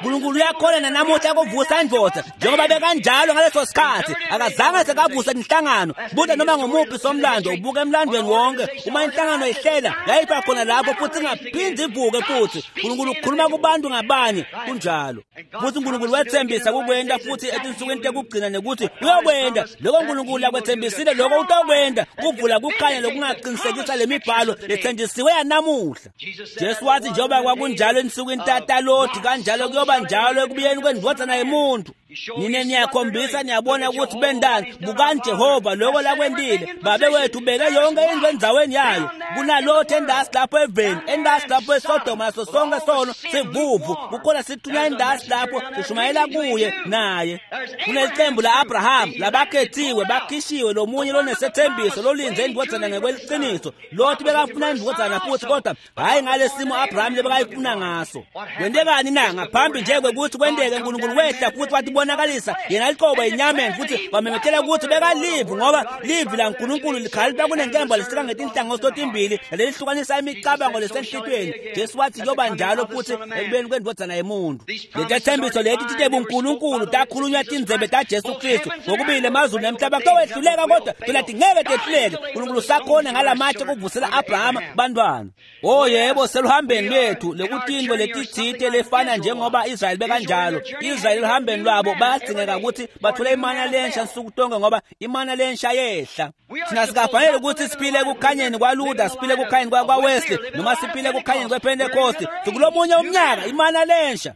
Nkulunkulu uyakhona nanamuhla kuvusa indvodza njengoba bekanjalo ngaleso sikhathi. Akazange sekavusa inhlangano. Buta noma ngumuphi somlando, ubuke emlandweni wonke. Uma inhlangano ihlela, yayiba khona lapho futhi ingaphindi ivuke futhi. Nkulunkulu ukhuluma kubantu ngabanye, kunjalo. Futhi uNkulunkulu wethembisa kukwenta futhi etinsukwini tekugcina nekuthi uyokwenta lokho uNkulunkulu akwethembisile, lokho utokwenta, kuvula kukhanya lokungaqinisekisa lemibhalo lethenjisiwe yanamuhla. Jesu wathi njengoba kwakunjalo ensukwini tataloti, kanjalo kuyoba njalo ekubuyeni kwendvodzana yemuntu. Nine niyakhombisa, niyabona ukuthi bendani. Bukani Jehova lokho lakwentile. Babe wethu ubeke yonke into endzaweni yayo. Kunalotho endasi lapho eveni, endasi lapho eSodoma, naso sonke sono sivuvu. Kukhona sithunywa endasi lapho sishumayela kuye naye. Kunelicembu la-Abraham labakhethiwe, bakhishiwe, lomunye lonesethembiso lolinze indvodzana ngekweliciniso. Lothi bekafuna indvodzana futhi, kodwa hhayi ngalesimo Abraham lebekayifuna ngaso. Kwentekani na? Ngaphambi nje kwekuthi kwenteke, uNkulunkulu wehla futhi watibonakalisa yena liqobo enyameni, futhi wamemethela ukuthi bekalivi, ngoba livi laNkulunkulu likhalipha kunenkemba lisika ngetinhlangothi totimbili lelihlukanisa imicabango lesenhlitweni. Jesu wathi kuyoba njalo futhi ekubeni kwendvodzana yemuntu. Letethembiso leti tite buNkulunkulu takhulunywa tindzebe taJesu Kristu ngokubili emazulu nemhlaba kutowehluleka, kodwa phela tingeke tehluleke. Nkulunkulu sakhona ngalamatshe kuvusela Abrahama bantwana. Oh yebo, seluhambeni lwethu lekutintfo letitsite lefana njengoba Israyeli bekanjalo. Israyeli eluhambeni lwabo bayadzingeka ukuthi bathole imana lensha nsuku tonke, ngoba imana lensha yehla. Thina sikafanele ukuthi siphile ekukhanyeni kwaLuther, siphile ekukhanyeni kwaWesley, noma siphile ekukhanyeni kwePentecost. Sikulomunye umnyaka, imana lensha.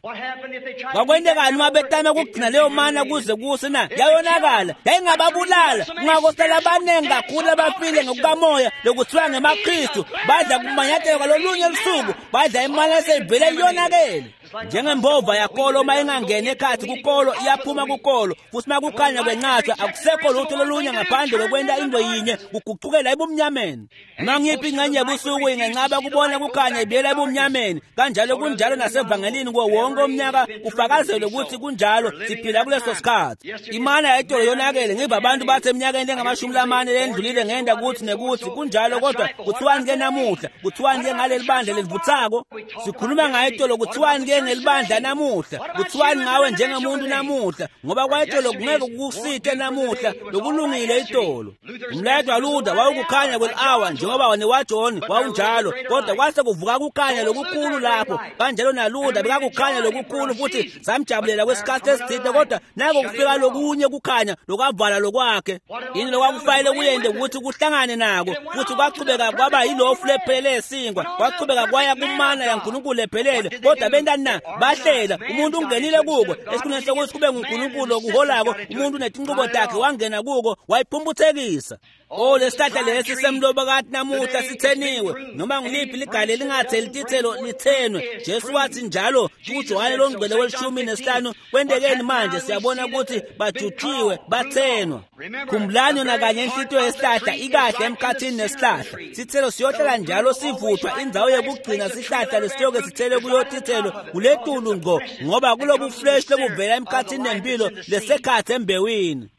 Kwakwentekani uma betame kugcina leyo mana kuze kuse na? Yayonakala, yayingababulala. Kungakosala abaningi kakhulu abafile ngokukamoya lokuthiwa ngemaKristu, badla kumanyathelo kwalolunye lusuku, badla imana eseyivele iyonakele. Njengembova yakolo uma ingangeni ekhathi kukolo, iyaphuma kukolo, futhi uma kukhanya kwenqatshwa akusekho lutho lolunye ngaphandle lokwenta into yinye, kuguqukela ebumnyameni. Noma ngiphi ingxenye yebusuku ingenqaba kubona kukhanya, ibuyela ebumnyameni. Kanjalo kunjalo nasevangelini kuwo wonke umnyaka kufakazelwe ukuthi kunjalo, siphila kuleso sikhathi. Imana yayitolo yonakele. Ngiva abantu bathi eminyakeni engamashumi lamane lendlulile ngenda kuthi nekuthi kunjalo, kodwa kuthiwani ke namuhla? Kuthiwani ke ngaleli bandla lelivuthako? Sikhuluma ngayo itolo, kuthiwani ke ngelibandla namuhla? Kuthiwani ngawe njengemuntu namuhla? Ngoba kwayitolo kungeke kukusite namuhla, lokulungile itolo. Umlayeto waLuther wawukukhanya kweli-awa, njengoba newaJohn wawunjalo, kodwa kwase kuvuka kukhanya lokukhulu lapho. Kanjalo naLuther bekakukhanya lokukhulu, futhi samjabulela kwesikhathi esithile, kodwa nako kufika lokunye kukhanya lokwavala lokwakhe. Yini lokwakufanele kuyente ukuthi kuhlangane nako, futhi kwachubeka kwaba yilofu lephelele yesinkwa, kwachubeka kwaya kumana yaNkulunkulu lephelele. Kodwa bentani na? Bahlela. Umuntu ungenile kuko esikhundleni sokuthi kube nguNkulunkulu okuholako, umuntu netinqubo takhe wangena kuko wayiphumputhekisa. Oh, lesihlahla lesi semlobokati namuhla sitheniwe. Noma ngiliphi ligale lingatheli tithelo lithenwe. Jesu wathi njalo kuJohane longcwele welishumi nesihlanu. Kwentekeni manje? Siyabona ukuthi bajutshiwe, bathenwa. Khumbulani, yona kanye inhlitiyo yesihlahla ikahle emkhathini nesihlahla. Sithelo siyohlala njalo sivuthwa. Indzawo yekugcina sihlahla lesiyoke sithele kuyo tithelo kuletulu ngco, ngoba kulobu fresh lobuvela emkhathini nempilo lesekhathi embewini.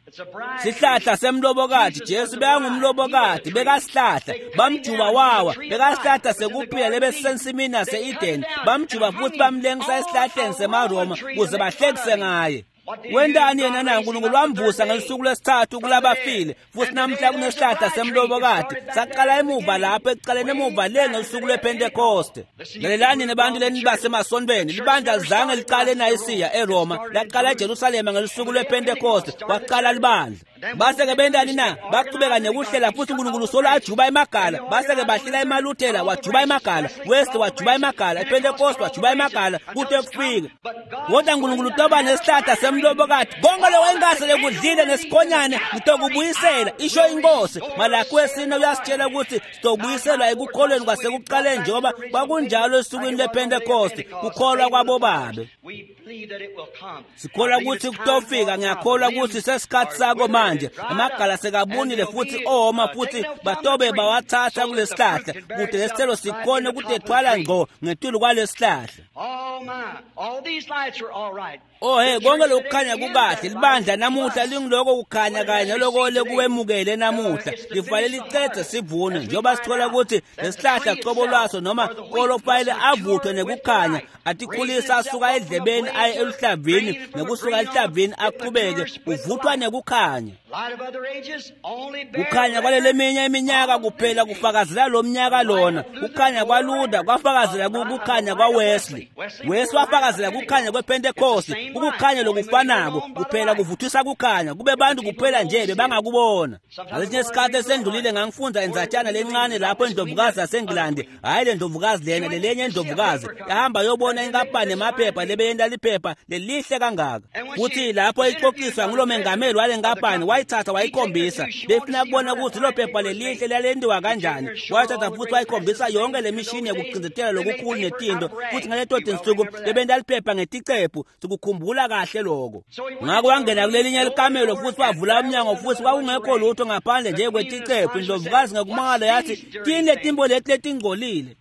Sihlahla semlobokati. Jesu bekangumlobokati, bekasihlahla. Bamjuba wawa. Bekasihlahla sekuphila lebesisensimini yase-Edeni. Bamjuba futhi bamlengisa esihlahleni semaRoma kuze bahlekise ngaye. Wentani yena na? Nkulunkulu wamvusa ngelusuku lwesithathu kulabafile, futhi namhla kunesihlahla semlobokati. Saqala emuva lapho ekucaleni, emuva le ngelusuku lwePentekoste. Lalelani nebantu leni basemasontweni, libandla lizange licale eNayisiya eRoma, laqala eJerusalema ngelusuku lwePentekoste, kwaqala libandla. Base-ke bentani na? Bachubeka nekuhlela, futhi uNkulunkulu solo ajuba emagala. Base-ke bahlela emaLuthela, wajuba emagala, Wesley wajuba emagala, ePentecost wajuba emagala, kute kufike. Kodwa uNkulunkulu utoba nesihlahla semlobokati. Konke lokho engase lekudlile nesikhonyane ngitokubuyisela, isho inkosi. Malaki wesine uyasitshela ukuthi sitobuyiselwa ekukholweni kwasekuqaleni, njengoba kwakunjalo esukwini lwePentecost, kukholwa kwabobabe. Sikholwa ukuthi kutofika. Ngiyakholwa ukuthi sesikhathi sako manje. Amagala sekabunile futhi oma, futhi batobe bawathatha kulesihlahla kude lesithelo sikhone ukudethwala ngco ngetulu kwalesihlahla. Oh my, all these lights are all right. Oh hey, konke lokukhanya kukahle. Libandla namuhla lingiloko kukhanya kanye naloko lekuwemukele namuhla. Lifanele licedze sivuno, njengoba sithola ukuthi lesihlahla cobo lwaso noma kolo fanele avuthwe nekukhanya, atikhulisa asuka edlebeni. aye eluhlavini nekusuka eluhlavini aqhubeke uvuthwa nekukhanya. Kukhanya kwaleleminye iminyaka kuphela kufakazela lo mnyaka lona. Kukhanya kwaLuther kwafakazela kukhanya kwaWesley. Wesley wafakazela kukhanya kwePentecost. Ukukhanya lokufanako kuphela kuvuthisa kukhanya kube bantu kuphela nje bebangakubona. Ngalesinye isikhathi esendlulile ngangifunda indzatshana lencane lapho indlovukazi yaseNgilandi, hhayi le ndlovukazi lena, lelenye indlovukazi yahamba yobona inkampani emaphepha lebeyenta liphepha lelihle kangaka. Futhi lapho ixoxiswa ngulo mengameli wale nkampani wayithatha wayikhombisa, befuna kubona ukuthi lo phepha lelihle lalentiwa kanjani. Wayithatha futhi wayikhombisa yonke le mishini yokucindzetela lokukhulu netinto, futhi ngaleto tinsuku bebenta liphepha ngeticephu. Sikukhumbula kahle lokho. Ngakho wangena kulelinye likamelo futhi wavula umnyango, futhi kwakungekho lutho ngaphandle nje kweticephu. Indlovukazi ngekumangala yathi, tini letimbo leti letingcolile.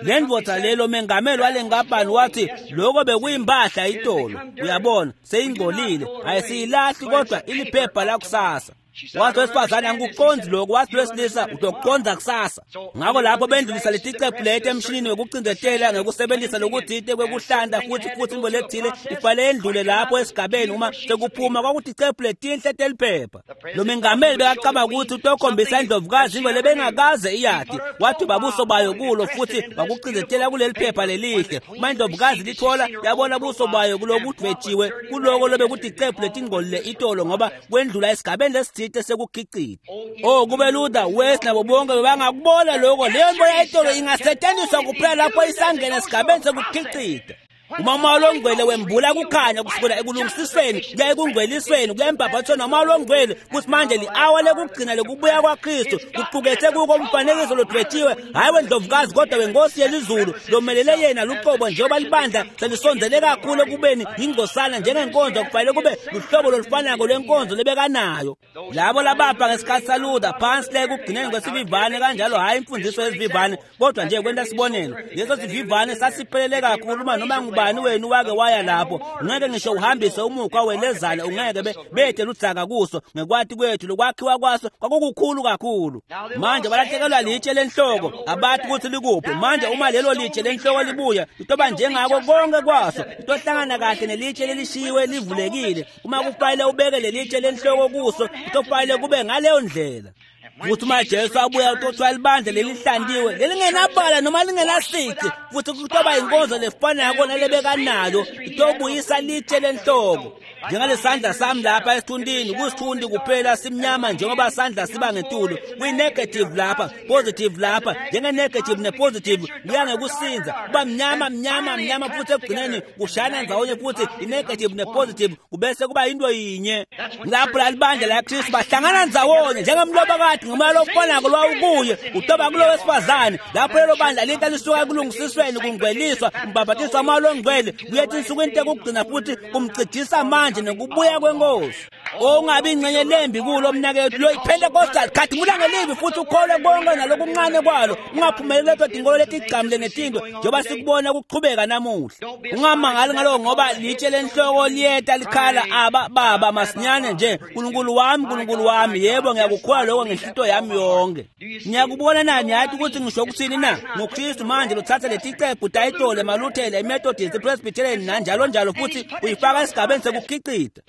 Le ndvodza lelo mengameli wale nkampani wathi lokho bekuyimpahla itolo, uyabona, seyingcolile, ayisiyilahli kodwa iliphepha lakusasa. Wathi wesifazane, angikuqondzi lokho. Wathi wesilisa, utokuqondza kusasa. Ngakho lapho bendlulisa leticephu leti emshinini wekucindzetela ngekusebenzisa lokuthite kwekuhlanta futhi into lethile ifanele yendlule lapho esigabeni uma sekuphuma kwakuticephu letinhle teliphepha. Lo mengameli bekacabanga ukuthi utokhombisa indlovukazi into lebengakaze iyati. Waduba buso bayo kulo futhi wakucindzetela kuleli phepha lelihle. Uma indlovukazi lithola yabona buso bayo kulokudvetshiwe kuloko lobekuticephu letingcolile itolo, ngoba kwendlula esigabeni lesithile sekukhicita. Oh, kube Luther, Wesley nabo bonke bebangakubona lokho. Leyo nto yayitolo ingasetshenziswa kuphela lapho isangena esigabeni sekukhicita. Uma umoya longcwele wembula kukhanya kusukela ekulungisisweni kuya ekungcwelisweni kuya embhabhatisweni nomoya longcwele, kuthi manje li-awa lekugcina lekubuya kwaKristu kuqukethe kuko umfanekiso lodwetshiwe, hhayi wendlovukazi kodwa wenkosi yelizulu lomelele yena luqobo. Njengoba libandla selisondzele kakhulu ekubeni yingcosana njengenkonzo, kufanele kube luhlobo lolufanako lwenkonzo lebekanayo labo labapha ngesikhathi saLuther phansi le ekugcineni kwesivivane kanjalo, hhayi imfundiso yesivivane kodwa nje kwenta sibonelo. Leso sivivane sasiphelele kakhulu, uma noma ngubani wenu wake waya lapho ungeke ngisho uhambise umukhwa welezana, ungeke bethe ludzaka kuso. Ngekwati kwethu lokwakhiwa kwaso kwakukukhulu kakhulu. Manje balahlekelwa litshe lenhloko, abathi ukuthi likuphi. Manje uma lelo litshe lenhloko libuya litoba njengako konke kwaso, litohlangana kahle nelitshe lelishiyiwe livulekile. Uma kufanele ubeke lelitshe lenhloko kuso, kutofanele kube ngaleyo ndlela. Futhi uma Jesu abuya utothiwa libandla lelihlantiwe lelingenabala noma lingenasici, futhi kutoba inkonzo lefanako nalebekanayo, itobuyisa litshe lenhloko. Njengalesandla sami lapha esithuntini, kusithundi kuphela simnyama njengoba sandla siba ngetulu, kuyi-negative lapha, positive lapha, njenge-negative ne-positive kuya ngekusinza kuba mnyama mnyama mnyama, futhi ekugcineni kushayana ndzawonye, futhi i-negative ne-positive kubese kuba into yinye. Lapho lalibandla laKristu bahlangana ndzawonye njengemlobakade ngomoya lokufanako lwawukuye utoba kulo wesifazane. Lapho lelo bandla linta lisuka ekulungisisweni, kungcweliswa, umbhabhatiswa umoya longcwele, kuya etinsukwini tekugcina futhi kumcijisa manje nokubuya kwenkosi. Ongabi ingxenye lembi kulo mnakethu lo iPentecostal, khathimula ngelivi futhi ukholwe konke nalokuncane kwalo, ungaphumeleli leto tinkolo letigcamile netinto njengoba sikubona kuqhubeka namuhla. Ungamangali ngaloko, ngoba litshe lenhloko liyeta likhala, aba baba masinyane nje, Nkulunkulu wami, Nkulunkulu wami. Yebo, ngiyakukholwa lokho ngenhlito yami yonke. Ngiyakubona na? Niyathi ukuthi ngisho ukuthini na? NguKristu manje lothatha leticephu tayitolo emaLuthela, iMethodist, iPresbyterian nanjalo njalo, futhi uyifaka esigabeni sekukhicita.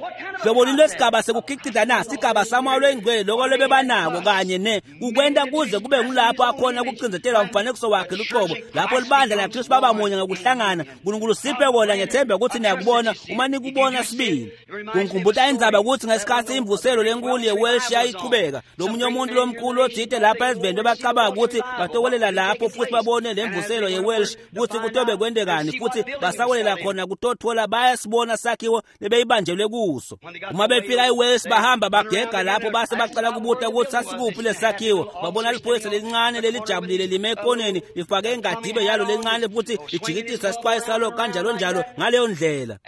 Hlobo lini lwesigaba sekukhicita na? Sigaba samoya loyingcwele, loko lebebanako kanye ne kukwenta kuze kube ngulapho akhona kucindzetelwa umfanekiso wakhe luqobo, lapho libandla laKristu baba munye ngekuhlangana. Nkulunkulu siphe kona. Ngethemba ukuthi niyakubona uma nikubona sibili. Kungikhumbuta indzaba ukuthi ngesikhathi imvuselo lenkulu yeWelsh yayichubeka, lomunye umuntu lomkhulu othile lapha eziveni bebacabanga ukuthi batowelela lapho futhi babone lemvuselo yeWelsh ukuthi kutobe kwentekani, futhi basawelela khona kutothola bayasibona sakhiwo lebeyibanjelwe kuso. Uma befika eWales bahamba bagega lapho base bacala kubuta ukuthi sasikuphi lesakhiwo. Babona liphoyisa lelincane lelijabulile lime ekoneni lifake ingadibe yalo lencane futhi lijikitisa isixwayi salo kanjalo njalo ngaleyo ndlela.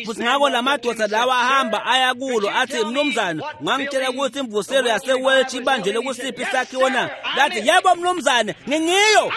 Futhi ngakho lamadoda lawa ahamba aya kulo athi, mnumzane, ungangitshela ukuthi imvuselo yaseWelsh ibanjelwe kusiphi isakhiwo na? Lathi, yebo mnumzane, ngingiyo.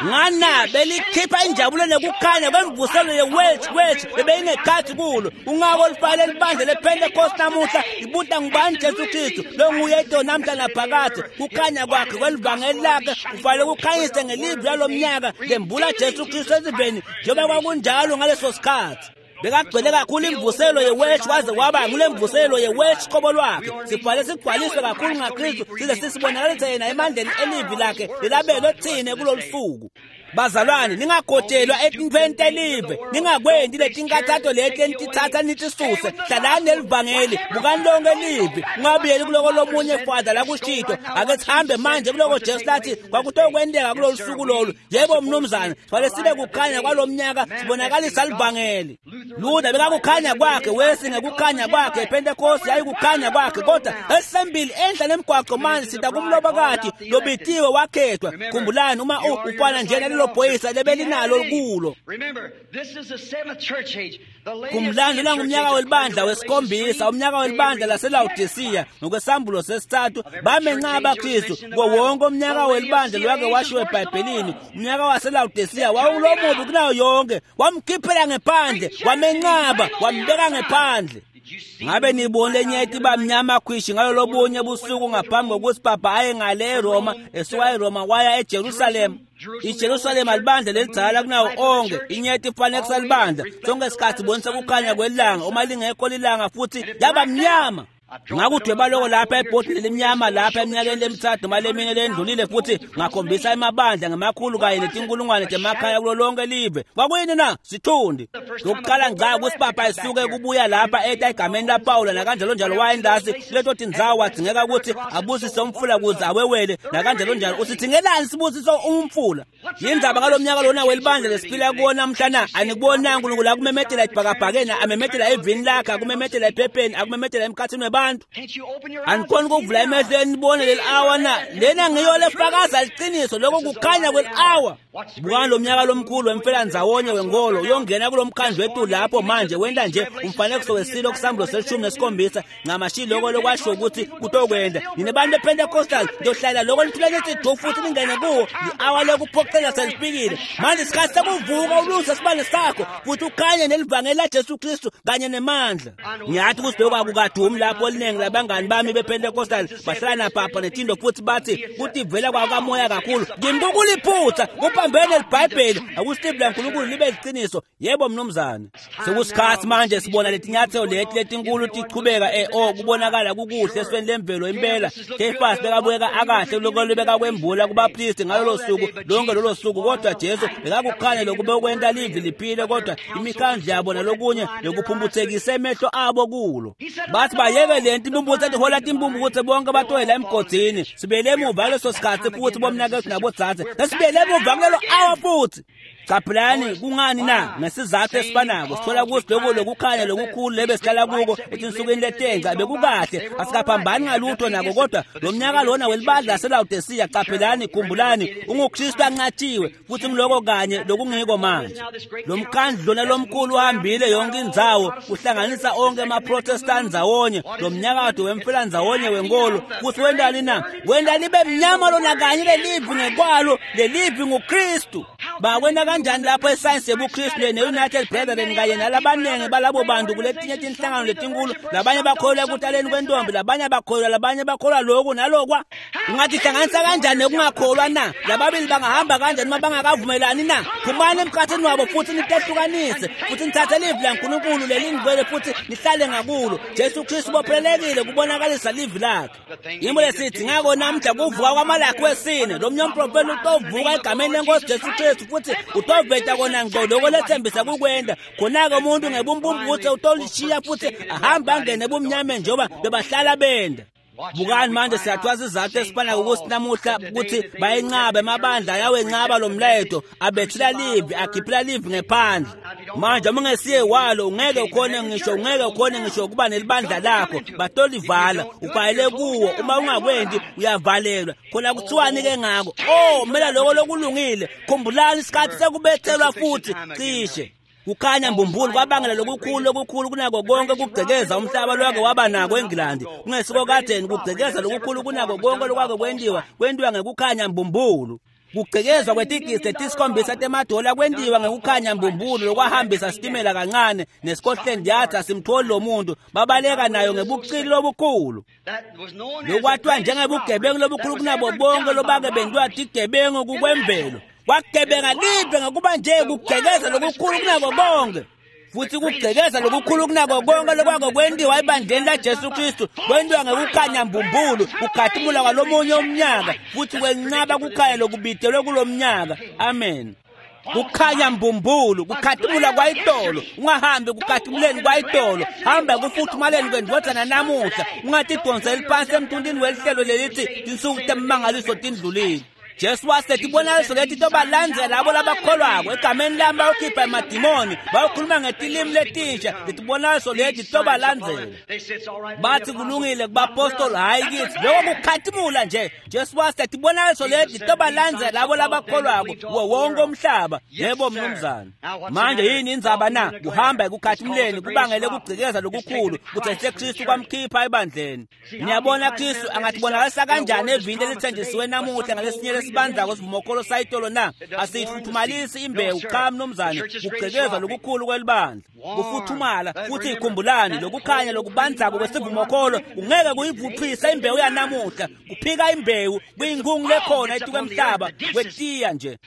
Ngana belikhipha injabulo nekukhanya kwemvuselo ye-Welsh Welsh bebeyinekhathi kulo. Ungako lifale libandla lePentecost namuhla ibuta ngubani Jesu Kristu longuye to namhla naphakadze. Kukhanya kwakhe kwelivangeli lakhe kufanele kukhanyise ngelivi lalomnyaka lembula Jesu Kristu esiveni njengoba kwakunjalo ngaleso sikhathi. Bekagcwele kakhulu imvuselo ye-Welsh waze waba ngule mvuselo ye-Welsh qobo lwakhe. Sibhale sigcwaliswe kakhulu ngaKristu size sisibonakalise yena emandleni elivi lakhe lelabelwe thine kulolu suku. Bazalwane, ningagotshelwa etintfweni telive, ningakwendi letinkathato leti enititsatsa nitisuse. Hlalani nelivangeli, bukani lonke livi, ungabuyeli kuloko lomunye Father lakushito. Ake sihambe manje kuloko Jesu lathi kwakutokwenteka kulolu suku lolu. Yebo mnumzane, sifanele sibe kukhanya kwalomnyaka, sibonakalisa livangeli. Luther bekakukhanya kwakhe, Wesley ngekukhanya kwakhe, Pentecost yayikukhanya kwakhe, kodwa esembili enhla nemgwaqo manje sita kumlobokati lobitiwe wakhethwa. Khumbulani uma ufana nje nalelo bhoyisa lebelinalo kulo. Khumbulani lona ngumnyaka welibandla wesikhombisa, umnyaka welibandla laseLawodisiya ngokwesambulo sesithathu bamenqaba Kristu kuwo wonke umnyaka welibandla lowake washiwo eBhayibhelini. Umnyaka waseLawodisiya wawulomubi kunayo yonke, wamkhiphela ngephandle, wamenqaba, wambeka ngephandle. Ngabe nibone lenyeti iba mnyama khwishi ngalo lobunye busuku ngaphambi kokuthi Papa aye ngale eRoma, esuka eRoma waya eJerusalem. IJerusalema libandla lelidzala kunawo onke, inyeti ifanekisa libandla. Sonke isikhathi ibonisa kukhanya kwelanga, uma lingekho lilanga futhi yaba mnyama. Ngakudweba loko lapha ebhodini lemnyama lapha eminyakeni lemithathu noma lemine lendlulile, futhi ngakhombisa emabandla ngemakhulu kanye netinkulungwane temakhaya kulo lonke live. Kwakuyini na? Sithundi. Lokuqala ngca ukuthi Papa esuke kubuya lapha eta egameni laPawula nakanjalo njalo wayendasi kuleto tindzawo wadzingeka ukuthi abusise umfula kuze awewele nakanjalo njalo. Usithingelani sibusiso umfula? Yindzaba ngalomnyaka lona welibandla lesiphila kuwo namhla na? Anikubonanga uNkulunkulu akumemetela ebhakabhakeni, amemetela evini lakhe, akumemetela ephepheni, akumemetela emkhathini webantu. Anikhoni ukuvula emehlo enibone leli awa na? Lena ngiyo lefakaza liqiniso, lokho kukhanya kweli awa. Bukani lo mnyaka lomkhulu wemfelanzawonye wenkolo uyongena kulo mkhandlu wethu lapho manje wenta nje umfanekiso wesilo kusambulo se-17 ncamashi loko lokwasho ukuthi kutokwenda. Nina bantu bePentecostal ndohlala loko nithule nithi du futhi ningene kuwo. I-awa lekuphoqela selifikile manje, isikhathi sekuvuka ulungise isibane sakho futhi ukhanye nelivangeli laJesu Kristu kanye nemandla. Ngiyathi ukuthi lokho akukadumi lapho oliningi labangani bami bePentecostal bahlala napapa netindo futhi bathi kutivela kwakamoya kakhulu. Kimi kukuliphutha kuphambene liBhayibheli, akusilivi laNkulunkulu libe liqiniso. Yebo mnumzane, sekusikhathi manje sibona letinyathelo leti letinkulu tichubeka kubonakala kukuhle esweni lemvelo impela. Kefasi bekabukeka akahle lokho bekakwembula kubapristi ngalolo suku lonke lolo suku, kodwa Jesu bekakukhanya lokube ukwenta livi liphile, kodwa imikhandlu yabo nalokunye lokuphumputhekise emehlo abo kulo. Bathi bayeke lento impumputhe etihola timpumputhe bonke batoyela emgodini. Sibuyele emuva kuleso sikhathi futhi bomnakethu nabodzadze, sesibuyele emuva kulelo awa futhi. Caphelani kungani na? Ngesizathu esifanako sithola ukuthi lokho lokukhanya lokukhulu lebesihlala kuko etinsukwini letenca bekukahle, asikaphambani ngalutho nako, kodwa lo mnyaka lona welibandla laseLawodisiya, caphelani, khumbulani, unguKristu anqatshiwe futhi ngiloko kanye lokungiko manje. Lo mkhandlu lona lomkhulu uhambile yonke indzawo uhlanganisa onke amaProtestant ndzawonye, lo mnyakado wemfelandzawonye wenkolo, futhi wentani na? Wenta libe mnyama lona kanye lelivi ngekwalo, lelivi nguKristu. Bakwenta kanjani lapho esayensi yebuKristu ne-United Brethren kanye nalabaningi balabo bantu kuletinye tinhlangano letinkulu, labanye bakholwa ekutaleni kwentombi, labanye bakholwa, labanye bakholwa lokhu nalokwa. Ungathi hlanganisa kanjani nekungakholwa na? Lababili bangahamba kanjani uma bangakavumelani na? Phumani emkhathini wabo futhi nitehlukanise, futhi nithathe livi laNkulunkulu lelingcwele futhi nihlale ngakulo. Jesu Kristu ubophelelekile kubonakalisa livi lakhe. Yimo lesithi ngako namhla kuvuka kwaMalaki wesine, lo mnye umprofeti utovuka egameni lenkosi Jesu Kristu futhi utoveta kona ngqo lokho lethembisa kukwenda. Khona-ke umuntu ngebumphumputhe utolishiya futhi ahambe angene ebumnyameni njengoba bebahlala benda. Bukani manje siyathwasa izathu esifana ukuthi namuhla ukuthi bayenqaba emabandla ayawenqaba lo mlayeto, abethula livi, akhiphela livi ngephandle. Manje uma ungesiye walo ungeke ukhone ngisho, ungeke ukhone ngisho ukuba nelibandla lakho, batolivala ubhayele kuwo. Uma ungakwendi uyavalelwa. Khona kuthiwani ke ngako? Oh, mela lokho lokulungile. Khumbulani isikhathi sekubethelwa futhi cishe. Kukhanya mbumbulu kwabangela lokukhulu lokukhulu kunako konke kugcekeza umhlaba lwake waba nako eNgilandi. Kungesiko kadeni kugcekeza lokukhulu kunako konke lokwake kwentiwa, kwentiwa ngekukhanya mbumbulu. Kugqekezwa kwetigidi letisikhombisa temadola kwentiwa ngekukhanya mbumbulu lokwahambisa sitimela kancane neScotland Yard asimtholi lo muntu babaleka nayo ngebuqili lobukhulu. Lokwathiwa njengebugebengu lobukhulu kunabo bonke lobake bentiwa tigebengu kukwemvelo. Kwagebenga live ngokuba nje kugqekeza lokukhulu kunabo bonke. Futhi kugqekeza lokukhulu kunako konke lokwako kwentiwa ebandleni laJesu Kristu kwentiwa ngekukhanya mbumbulu kukhatimula kwalomunye umnyaka futhi kwenqaba kukhanya lokubitelwe kulomnyaka. Amen. Kukhanya mbumbulu kukhatimula kwayitolo. Ungahambi kukhatimuleni kwayitolo, hamba kufuthumaleni kwendvodzana namuhla. Ungatidonseli phansi emthuntini welihlelo lelithi tinsuku temimangaliso tindlulile. Jesu wasethi ibonakaliso leti tobalandzela labo labakholwako egameni lami bayokhipha emadimoni bayokhuluma ngetilimi letinsha. Letibonakaliso leti tobalandzela. Bathi kulungile kubapostoli, hhayi kithi. Lokho kukhatimula nje. Jesu wasethi ibonakaliso leti tobalandzela labo labakholwako kuwo wonke umhlaba. Yebo mnumzane. Manje yini indzaba na? Kuhamba ekukhatimuleni kubangele kugcikeza lokukhulu kuthethe Kristu kwamkhipha ebandleni. Niyabona Kristu angatibonakalisa kanjani evini elithenjisiwe namuhla ngalesinye lesibandzako sivumokholo sayitolo na? Asiyifuthumalisi imbewu. Cha mnumzane, kugqekezwa lokukhulu kwelibandla kufuthumala. Futhi ikhumbulani lokukhanya lokubandzako kwesivumokholo kungeke kuyivuthwise imbewu yanamuhla. Kuphika imbewu kuyinkungu lekhona etukwemhlaba kwetiya nje.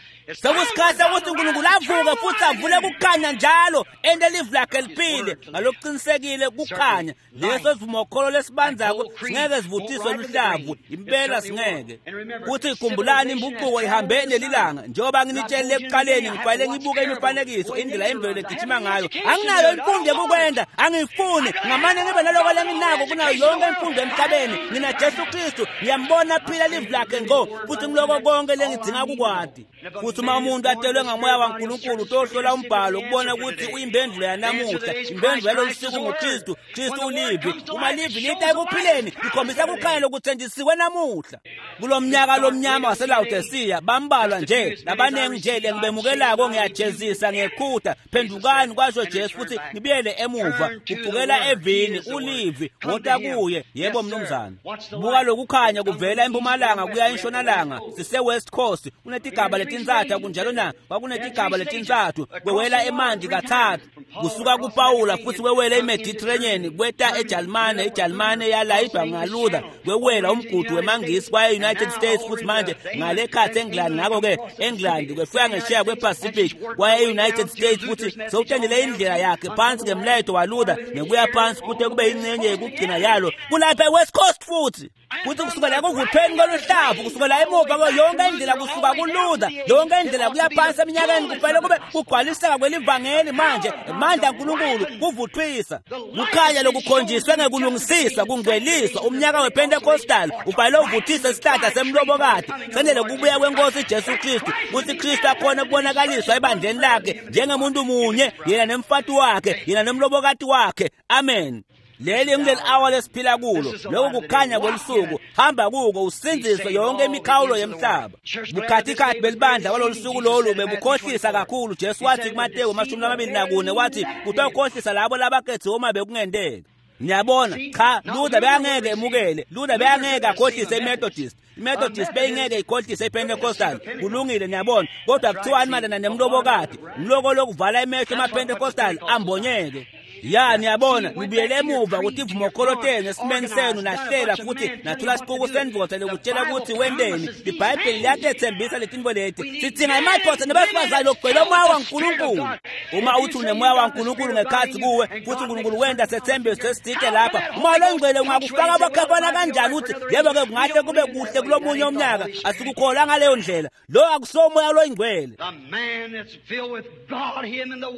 Sekusikhathi sokuthi uNkulunkulu avuke futhi avule kukhanya njalo ente live lakhe liphile ngalokuqinisekile kukhanya. Leso sivumokholo lesibandzako singeke sivuthiswe luhlavu impela singeke. Futhi ikhumbulani imbuquko ihambe nelilanga. Njengoba nginitshelile ekuqaleni, ngifanele ngibuke imifanekiso indlela imvelo legijima ngayo. Anginayo imfundo yokukwenda, angiyifuni. Ngamane ngibe naloko lenginako kunayo yonke imfundo emhlabeni. Ngina Jesu Kristu, ngiyambona phila live lakhe ngqo futhi ngiloko konke lengidzinga kukwati. Futhi uma umuntu atelwe ngamoya waNkulunkulu utohlola umbhalo ukubona ukuthi uyimphendvulo yanamuhla. Imphendvulo yalolu suku nguKristu. Kristu ulivi. Uma livi lita ekuphileni likhombisa kukhanya lokuthenjisiwe namuhla. Kulo mnyaka lomnyama waseLawodisiya bambalwa nje labanengi nje lengibemukelako ngiyajezisa ngekhutha. Phendukani kwasho Jesu futhi nibuyele emuva. Kuphukela evini ulivi wota kuye. Yebo mnumzane. Buka lokukhanya kuvela empumalanga kuya entshonalanga. Sise West Coast kunetigaba letintsathu kunjalo na? Kwakunetigaba letintsathu kwewela emanti kathathu kusuka kuPawula futhi kwewela iMediterranean kweta eJalimane. iJalimane yalayidwa ngaLuther kwewela umgudu wemangisi kwaya e-United States futhi manje ngale khathi eNgilandi. Ngakho-ke eNgilandi kwefika ngesheya kwePacific kwaya e-United States futhi sewutendele indlela yakhe phansi ngemlayeto waLuther nekuya phansi kute kube ingcenye yekugcina yalo kulapha e-West Coast futhi. Futhi kusukela ekuvuthweni koluhlavu kusukela emuva yonke indlela kusuka kuLuther yonke indlela kuya phansi eminyakeni kufanele kube kugcwaliseka kwelivangeli manje. Amandla kaNkulunkulu kuvuthwisa kukhanya lokukhonjiswe ngekulungisiswa kungcweliswa. Umnyaka wePentecostal ufanele uvuthise isihlahla semlobokati sendele kubuya kwenkosi Jesu Kristu kuthi Kristu akhona kubonakaliswa ebandleni lakhe njengemuntu munye, yena nemfati wakhe, yena nemlobokati wakhe. Amen. Leli ngileli awa lesiphila kulo. Lokhu kukhanya kwelusuku. Hamba kuko usindziswe yonke imikhawulo yemhlaba. Bukhathikhathi belibandla kwalolu suku lolu bebukhohlisa kakhulu. Jesu wathi kuMateyu 24 wathi kutawukhohlisa labo labakhethiwe uma bekungenteka. Niyabona? Cha, Luther bekangeke emukele. Luther bekangeke akhohlise iMethodist. iMethodist beyingeke ikhohlise iPentecostal. Kulungile niyabona. Kodwa kuthiwani mayelana nemlobokati? Umloko lokuvala emehlo emaPentecostal ambonyeke. Ya niyabona, nibuyele emuva ukuthi ivumokholo tenu esimeni senu nahlela futhi nathula sipuku sendvodza lokutshela ukuthi wenteni. IBhayibheli liyatethembisa letinto leti. Sidzinga emadvodza nebesifazane lokugcwele umoya waNkulunkulu. Uma uthi unemoya waNkulunkulu ngekhathi kuwe futhi uNkulunkulu wenta sethembiso esithile lapha, umoya longcwele ungakufaka abakhafana kanjani uthi yebo-ke kungahle kube kuhle kulomunye umnyaka? Asikukholwa ngaleyo ndlela. Lo akusomoya loyingcwele.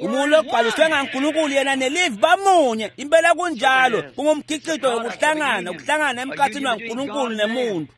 Umuntu logcwaliswe ngaNkulunkulu yena nelivi bamunye. Impela kunjalo. Kungumkhicito wokuhlangana, ukuhlangana emkhathini waNkulunkulu nemuntu.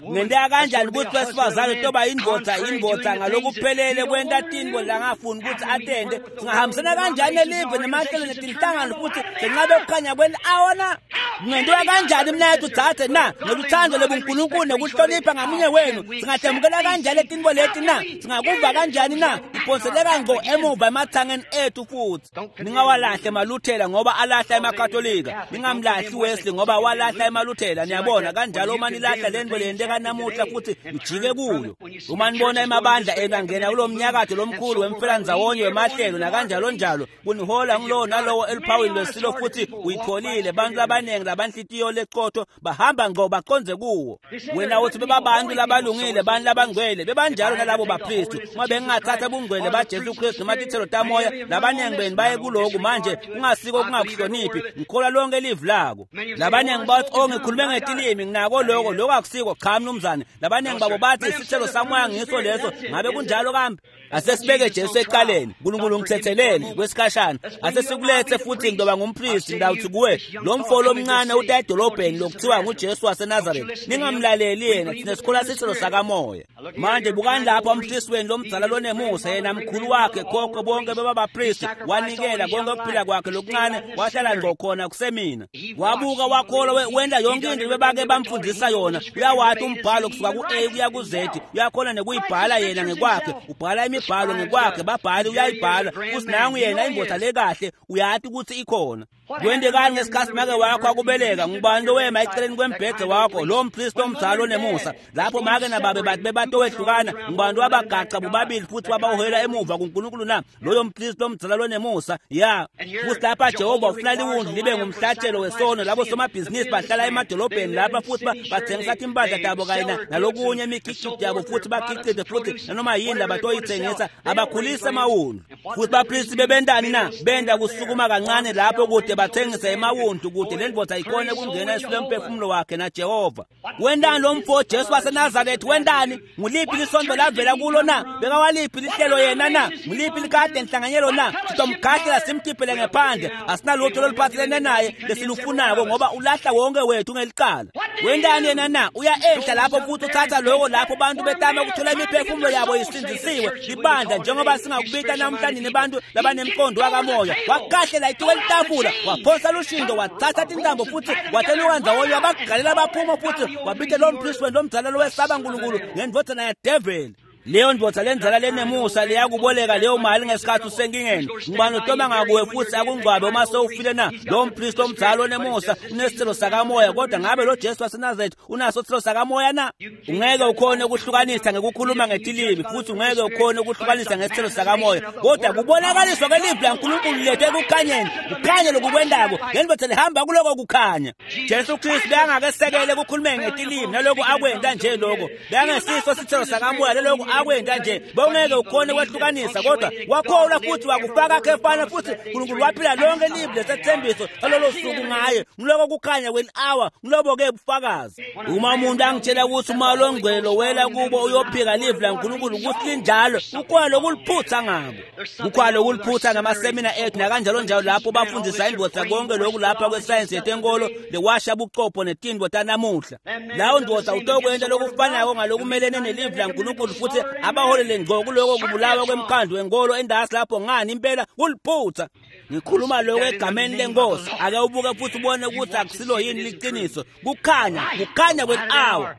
Ngenteka kanjani ukuthi wesifazane toba indvodza indvodza ngalokuphelele kwenta tintfo langafuni ukuthi atente? Singahambisana kanjani nelive nemahlelo netinhlangano futhi senqabe ukukhanya kweli-awa na? Kungentiwa kanjani mnayethu dzadze na? Ngeluthando lobuNkulunkulu nekuhlonipha ngamunye wenu singatemukela kanjani letintfo leti na? Singakuva kanjani na? Iphonseleka ngqo emuva emathangeni ethu futhi. Ningawalahli emaLuthela ngoba alahla emaKatolika. Ningamlahli Wesley ngoba walahla emaLuthela. Niyabona kanjalo uma nilahla nitocapela lento leyenteka namuhla futhi nijike kuyo. Uma nibona emabandla enu angena kulo mnyakato lomkhulu wemfelanzawonye wemahlelo nakanjalo njalo, kunihola ngulowo nalowo eluphawini lwesilo futhi uyitholile. Bantu abaningi labanhlitiyo leqotho bahamba ngqo baqonze kuwo. Wena uthi bebabantu labalungile, bantu labangcwele, bebanjalo nalabo bapristi. Uma bengingathatha bungcwele baJesu Kristu noma tithelo tamoya, labaningi benu baye kuloku manje kungasiko kungakuhloniphi. Ngikholwa lonke livi lako. Labaningi bathi, oh, ngikhulume ngetilimi, nginako lokho, lokho akusiko. Cha mnumzane. Labaningi babo bathi isithelo samoya ngiso leso. Ngabe kunjalo kambe? Asesibeke Jesu eqaleni. uNkulunkulu ngithethelele kwesikhashana. Asesikulethe futhi ngizoba ngumpristi. Ngidawuthi kuwe, lo mfo lomncane uta edolobheni lokuthiwa nguJesu waseNazaretha, ningamlaleli yena, thina sikholwa isithelo sakamoya. Manje bukani lapha umpristi wenu lomdzala lonemusa, yena mkhulu wakhe khokho bonke bebabapristi, wanikela konke ukuphila kwakhe lokuncane, wahlala ngqo khona kusemina. Wabuka wakholwa, wenda yonke into bebake bamfundisa yona. Uyawathi umbhalo kusuka ku-A kuya ku-Z, uyakhona nekuyibhala yena ngekwakhe, ubhala imibhalo ngekwakhe, babhali uyayibhala futhi nangu yena indoda lekahle, uyathi ukuthi ikhona. Kwentekani ngesikhathi make wakho akubeleka? Ngubani lowema eceleni kwembhede wakho? Lo mpristi omdzala onemusa. Lapho make nababe bathi bebatowehlukana, ngubani wabagaca bobabili futhi wabawuhela emuva kuNkulunkulu na? Loyo mpristi omdzala lonemusa. Ya, futhi lapha Jehova ufuna liwundlu libe ngumhlatshelo wesono. Labo somabhizinisi bahlala emadolobheni lapha futhi bathengisa timpahla tabo kanye nalokunye imikhiqizo yabo, futhi bakhiqize futhi nanoma yini labatoyithengisa, abakhulise amawundlu. Futhi bapristi bebentani na? Benda kusukuma kancane lapho kude bathengise emawundlu kude le ndvodza ikhone kungena esilomphefumulo wakhe naJehova. Wendani lo mfo Jesu waseNazaretha? Wendani? Nguliphi lisonto lavela kulo na? Bekawaliphi lihlelo yena na? Nguliphi likade enhlanganyelo na? Sitomkhahlela simkhiphele ngephandle. Asinalutho loluphathelene naye lesilufunako ngoba ulahla wonke wethu ngelicala. Wendani yena na? Uya enhla lapho futhi uthatha lokho lapho bantu betama ukuthola imiphefumulo yabo isindisiwe. Libandla njengoba singakubita namhlanje nebantu labanemqondo wakamoya. Wakahlela ituke litafula, waphonsa lushindo, wathatha tintambo futhi wateluka ndzawonye, wabagalela baphuma futhi wabita lo mpristi wenu lomdzala lowesaba uNkulunkulu ngendvodzana yadeveli. Leyo ndvodza lenzala lenemusa leyakuboleka leyo mali ngesikhathi usenkingeni, ngubani otoma ngakuwe futhi akungcwabe uma sewufile na? Lo mpristi omdzala onemusa unesithelo sakamoya, kodwa ngabe lo Jesu waseNazaretha unaso isithelo sakamoya na? Ungeke ukhone ukuhlukanisa ngekukhuluma ngetilimi, futhi ungeke ukhone ukuhlukanisa ngesithelo sakamoya, kodwa kubonakaliswa kwelivi laNkulunkulu lethu ekukhanyeni, kukhanye lokukwendako, le ndvodza lihamba kuloko kukhanya. Jesu Kristu bekangakesekele ekukhulumeni ngetilimi nalokhu akwenta nje lokho, bekangesiso isithelo sakamoya lelokhu akwenta nje, bongeke ukhone kwehlukanisa, kodwa wakholwa futhi wakufaka khefana futhi uNkulunkulu waphila lonke livi lesethembiso salolo suku ngaye. Ngiloko kukhanya kweli-hour, ngilobo-ke bufakazi. Uma umuntu angitshela ukuthi umoya longcwele lowela kubo uyophika livi laNkulunkulu ukuthi linjalo, kukhona lokuliphutha ngabo. Kukhona lokuliphutha ngamasemina ethu nakanjalo njalo lapho bafundisa indvodza konke lokhu lapha kwesayensi yetenkolo lewasha bucopho netindvo tanamuhla. Lawo ndvodza utokwenta lokufanako ngalokumelene nelivi laNkulunkulu futhi abaholele ngqo kuloko kubulawa kwemkhandlu wenkolo endasi lapho. Ngani impela kuliphutha. Ngikhuluma lokho egameni lenkosi. Ake ubuke futhi ubone ukuthi akusilo yini liqiniso. Kukhanya, kukhanya kweli-hour.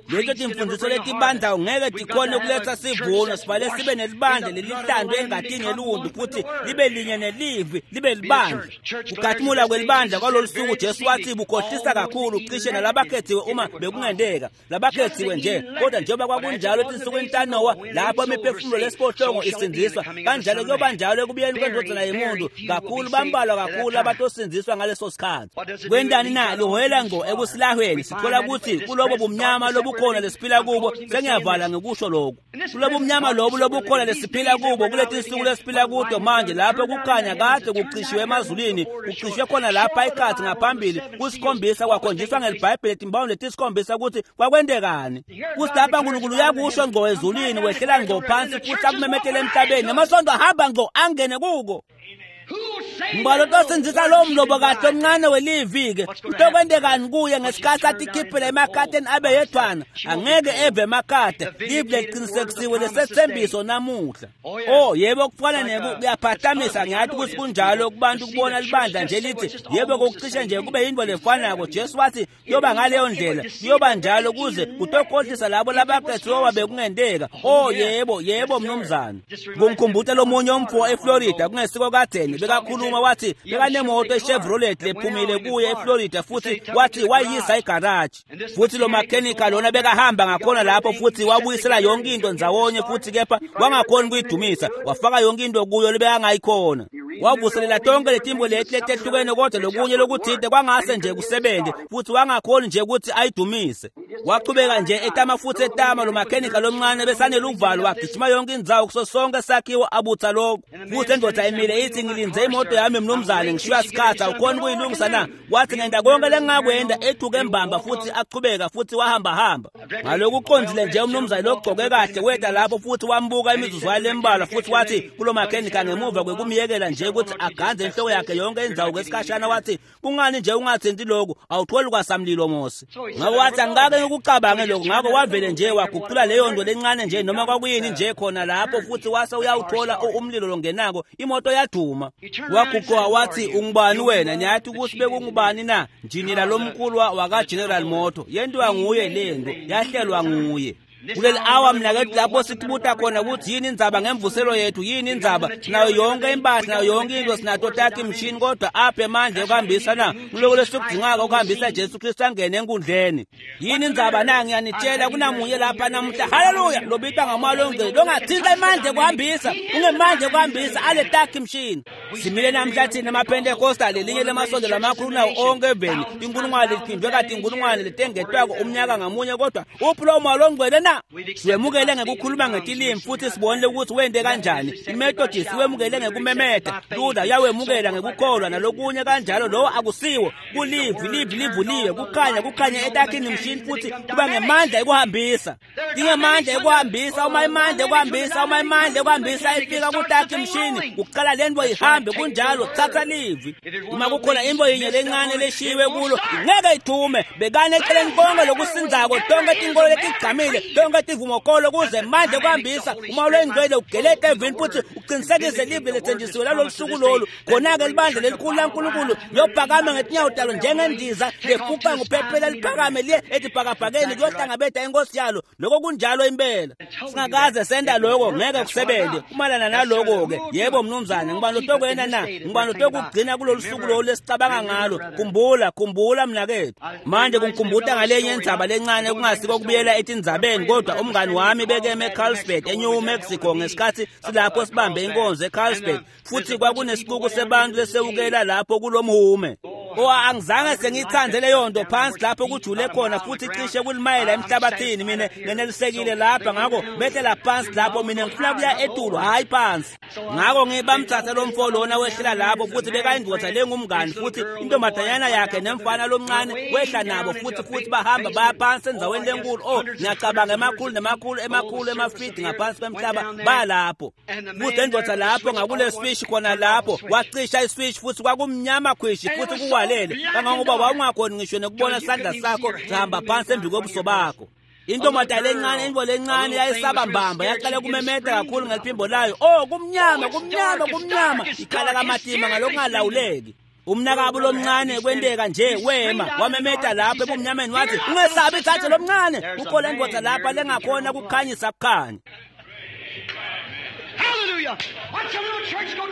Leto timfundiso letibandla ungeke tikhone ukuletha sivuno. Sifale sibe nelibandla lelihlandwe engatini yeliwundlu futhi libe linye nelivi, libe libandla. Kukhathimula kwelibandla kwalolu suku Jesu wathi bukhohlisa kakhulu cishe nalabakhethiwe uma bekungenteka. Labakhethiwe nje, kodwa njengoba kwakunjalo etinsukwini taNowa lapho imiphefumulo lesiphohlongo isindiswa, kanjalo kuyoba njalo ekubuyeni kwendvodzana yemuntu. Kakhulu bambalwa kakhulu abatosindziswa ngaleso sikhathi. Kwentani na? Liholela ngqo ekusilahweni. Sithola ukuthi kulobo bumnyama lobukhona lesiphila kubo, sengiyavala ngekusho lokhu, kulobo bumnyama lobu lobukhona lesiphila kubo kuleti nsuku lesiphila kuto manje, lapho kukhanya kade kucishiwe emazulwini, kucishwe khona lapha ikhathi ngaphambili kusikhombisa, kwakhonjiswa ngelibhayibheli timbawuni letisikhombisa ukuthi kwakwentekani. Kuthi lapha uNkulunkulu uyakusho ngqo ezulwini, wehlela ngqo phansi futhi akumemetele emhlabeni, namasonto ahamba ngqo angene kuko. Ngibalo tosindzisa lo mlobo kahle omncane welivi-ke kutokwentekani kuye ngesikhathi atikhiphela emakhateni abe yedwana? Angeke eve emakhata. Livi leliqinisekisiwe lesethembiso namuhla. Oh yebo, kufana kuyaphatamisa. Ngiyathi ukuthi kunjalo kubantu kubona libandla nje lithi yebo kokucishe nje kube yinto lefanako. Jesu wathi kuyoba ngaleyo ndlela, kuyoba njalo kuze kutokhohlisa labo labakhethiwe bekungenteka. Oh yebo, yebo mnumzane. Kungikhumbuta lomunye umfo eFlorida kungesiko kadzeni bekakhuluma wakhuluma wathi bekanemoto eChevrolet lephumile kuye eFlorida futhi wathi wayisa igaraji futhi lo makhenika lona bekahamba ngakhona lapho futhi wabuyisela yonke into ndzawonye futhi kepha wangakhoni kuyidumisa wafaka yonke into kuyo lebekangayikhona wavuselela tonke letimbo leti letehlukene kodwa lokunye lokuthinte kwangase nje kusebenze futhi wangakhoni nje ukuthi ayidumise wachubeka nje etama futhi etama lo makhenika lomncane besaneluvalo wagijima yonke indzawo kuso sonke sakhiwo abutha lokho futhi endoda emile ithi ngilinze imoto yami mnumzane ngishiya sikhathi awukhoni kuyilungisa na wathi ngenda konke lengingakwenda ethuke embamba futhi achubeka futhi wahamba hamba ngaloku uqondile nje umnumzane logcoke kahle weda lapho futhi wambuka imizuzwana lembalwa futhi wathi kulo makhenika ngemuva kwekumyekela nje ukuthi aganze inhloko yakhe yonke indzawo kwesikhashana wathi kungani nje ungathinti lokhu awutholi kwasamlilo mosi ngako wathi angikake ngikucabange lokhu ngako wavele nje waguqula leyo nto lencane nje noma kwakuyini nje khona lapho futhi wase uyawuthola umlilo longenako imoto yaduma waguquka wathi ungubani wena niyathi ukuthi bekungubani na njinila lomkhulu wakaGeneral Motor yentiwa nguye lento yahlelwa nguye kuleli awa mnakethu lapho sithibuta khona ukuthi yini indzaba ngemvuselo yethu yini indzaba sinayo yonke impahla nayo yonke into sinato takhe imishini kodwa apha emandla ekuhambisa na kuloko lesikudingako ukuhambisa Jesu Kristu angene enkundleni yini indzaba na ngiyanitshela kunamunye lapha namuhla haleluya lobitwa ngamoya longcwele longathinta emandla ekuhambisa ungemandla ekuhambisa ale takhe imishini simile namhla thina emapentekosta lelinye lemasonto lamakhulu nawo onke eveni inkulungwane liphindwe kade inkulungwane letengetwako umnyaka ngamunye kodwa uphi lowo moya longcwele na Siwemukele ngekukhuluma ngetilimi futhi sibonile ukuthi wente kanjani iMethodist iwemukele ngekumemeta Luther yawemukela ngekukholwa nalokunye kanjalo lowo akusiwo kulivi livi livuliwe kukhanya kukhanya etakhini mshini futhi kuba ngemandla ekuhambisa ingemandla ekuhambisa uma imandla ekuhambisa uma imandla ekuhambisa ifika kutakhi mshini kuqala lento ihambe kunjalo thatha livi uma kukhona into yinye lencane leshiwe kulo ngeke ithume bekane eceleni konke lokusinzako tonke tinkolo letigcamile tonke tivumokolo kuze manje kuhambisa uma lwengcwele ugelete evini futhi uqinisekise live lethenjisiwe lalolu suku lolu khona-ke libandla lelikhulu laNkulunkulu liyophakama ngetinyawo talo njengendiza lefuqa nguphephela liphakame liye etibhakabhakeni kuyohlangabeda inkosi yalo lokho kunjalo impela singakaze senda lokho ngeke kusebenze kumalana naloko-ke yebo mnumzane ngibani lotokwena na ngibani lotokugcina kulolu suku lolu lesicabanga ngalo khumbula khumbula mnakethu manje kungikhumbuta ngalenye indzaba lencane kungasiko kubuyela etindzabeni kodwa umngani wami bekeme eCarlsbad eNew Mexico ngesikhathi silapho sibambe inkonzo eCarlsbad futhi kwakunesicuku sebantu lesewukela lapho kulomhume o angizange sengiyithande leyo nto phansi lapho kujule khona futhi cishe kulimayela emhlabathini mina ngenelisekile lapha ngakho behlela phansi lapho mina ngifuna kuya etulo hhayi phansi ngakho ngibamthatha lo mfo lona wehlela lapho futhi bekayindoda lengumngani futhi intombazanyana yakhe nemfana lomncane wehla nabo futhi futhi bahamba baya phansi endzaweni lenkulu o ngiyacabanga emakhulu nemakhulu emakhulu emafidi ngaphansi kwemhlaba baya lapho futhi endoda lapho ngakule swishi khona lapho wacisha iswishi futhi kwakumnyama khwishi futhi kuwalele kangangoba wawungakhoni ngisho nekubona isandla sakho sihamba phansi embi kobuso bakho intombazane lencane into lencane yayisaba mbamba yaqala kumemeta kakhulu ngeliphimbo layo oh kumnyama kumnyama kumnyama ikhala kamatima ngalokungalawuleki umnakabo lomncane kwenteka nje wema wamemeta lapho ebumnyameni wathi ungesabi ithathe lomncane kukhona indoda lapha lengakhona kukhanyisa kukhanya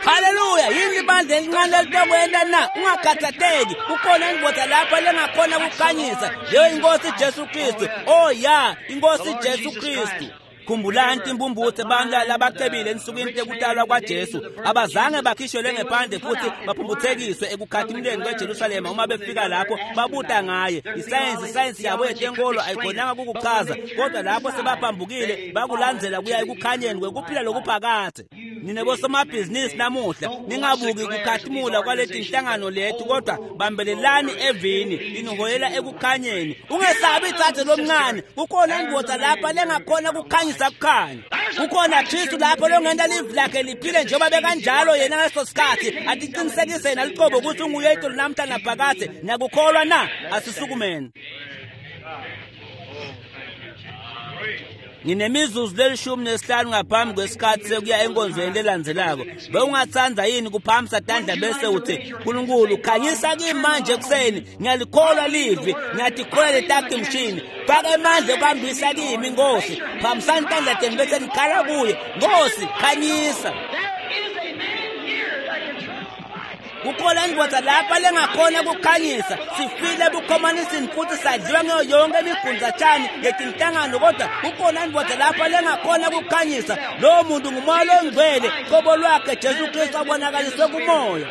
Haleluya yini ibandla elincane litokwenta na ungakhathatheki kukhona indoda lapha lengakhona kukhanyisa leyo inkosi Jesu Kristu oh ya inkosi Jesu Kristu khumbulani timbumbuthe abantu labacebile ensukwini tekutalwa kwaJesu abazange bakhishelwe ngephandle futhi baphumbuthekiswe ekukhathimuleni kweJerusalema uma befika lapho babuta ngaye isayensi isayensi yabo yetenkolo ayikhonanga kukuchaza kodwa lapho sebaphambukile bakulandzela kuya ekukhanyeni kwekuphila lokuphakathe nine bosomabhizinisi namuhla ningabuki kukhathimula kwaleti nhlangano lethu kodwa bambelelani evini liniholela ekukhanyeni ungesabi itsatse lomncane kukhona indoda lapha lengakhona kukhanyisa kukhanya kukhona Kristu lapho longenta livi lakhe liphile njengoba bekanjalo yena ngaleso sikhathi atiqinisekise yena liqobo ukuthi unguye itolo namhla naphakadze niyakukholwa na asisukumeni Nginemizuzu lelishumi nesihlanu ngaphambi kwesikhathi sekuya enkonzweni lelandzelako. Bewungatsandza yini kuphakamisa tandla bese uthi Nkulunkulu khanyisa kimi manje ekuseni ngiyalikholwa livi ngiyatikholwa letakhi mshini faka emandla ekuhambisa kimi Nkosi phakamisani tandla tenu bese nikhala kuye Nkosi khanyisa. There is a man here that can turn on the lights. Kukhona indvodza lapha lengakhona kukhanyisa. Sifile ebukhomanisini futhi sadliwa ngayo yonke imigundzatshani yetinhlangano, kodwa kukhona indvodza lapha lengakhona kukhanyisa. Lowo muntu ngumoya longcwele, qobo lwakhe Jesu Kristu abonakaliswe kumoya.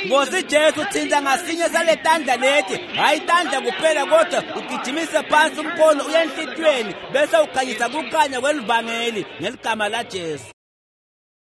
Nkosi Jesu, thinta ngasinye saletandla leti, hhayi tandla kuphela, kodwa ugijimise phansi umkhono uye enhlitiyweni, bese ukhanyisa kukhanya kwelivangeli ngeligama laJesu.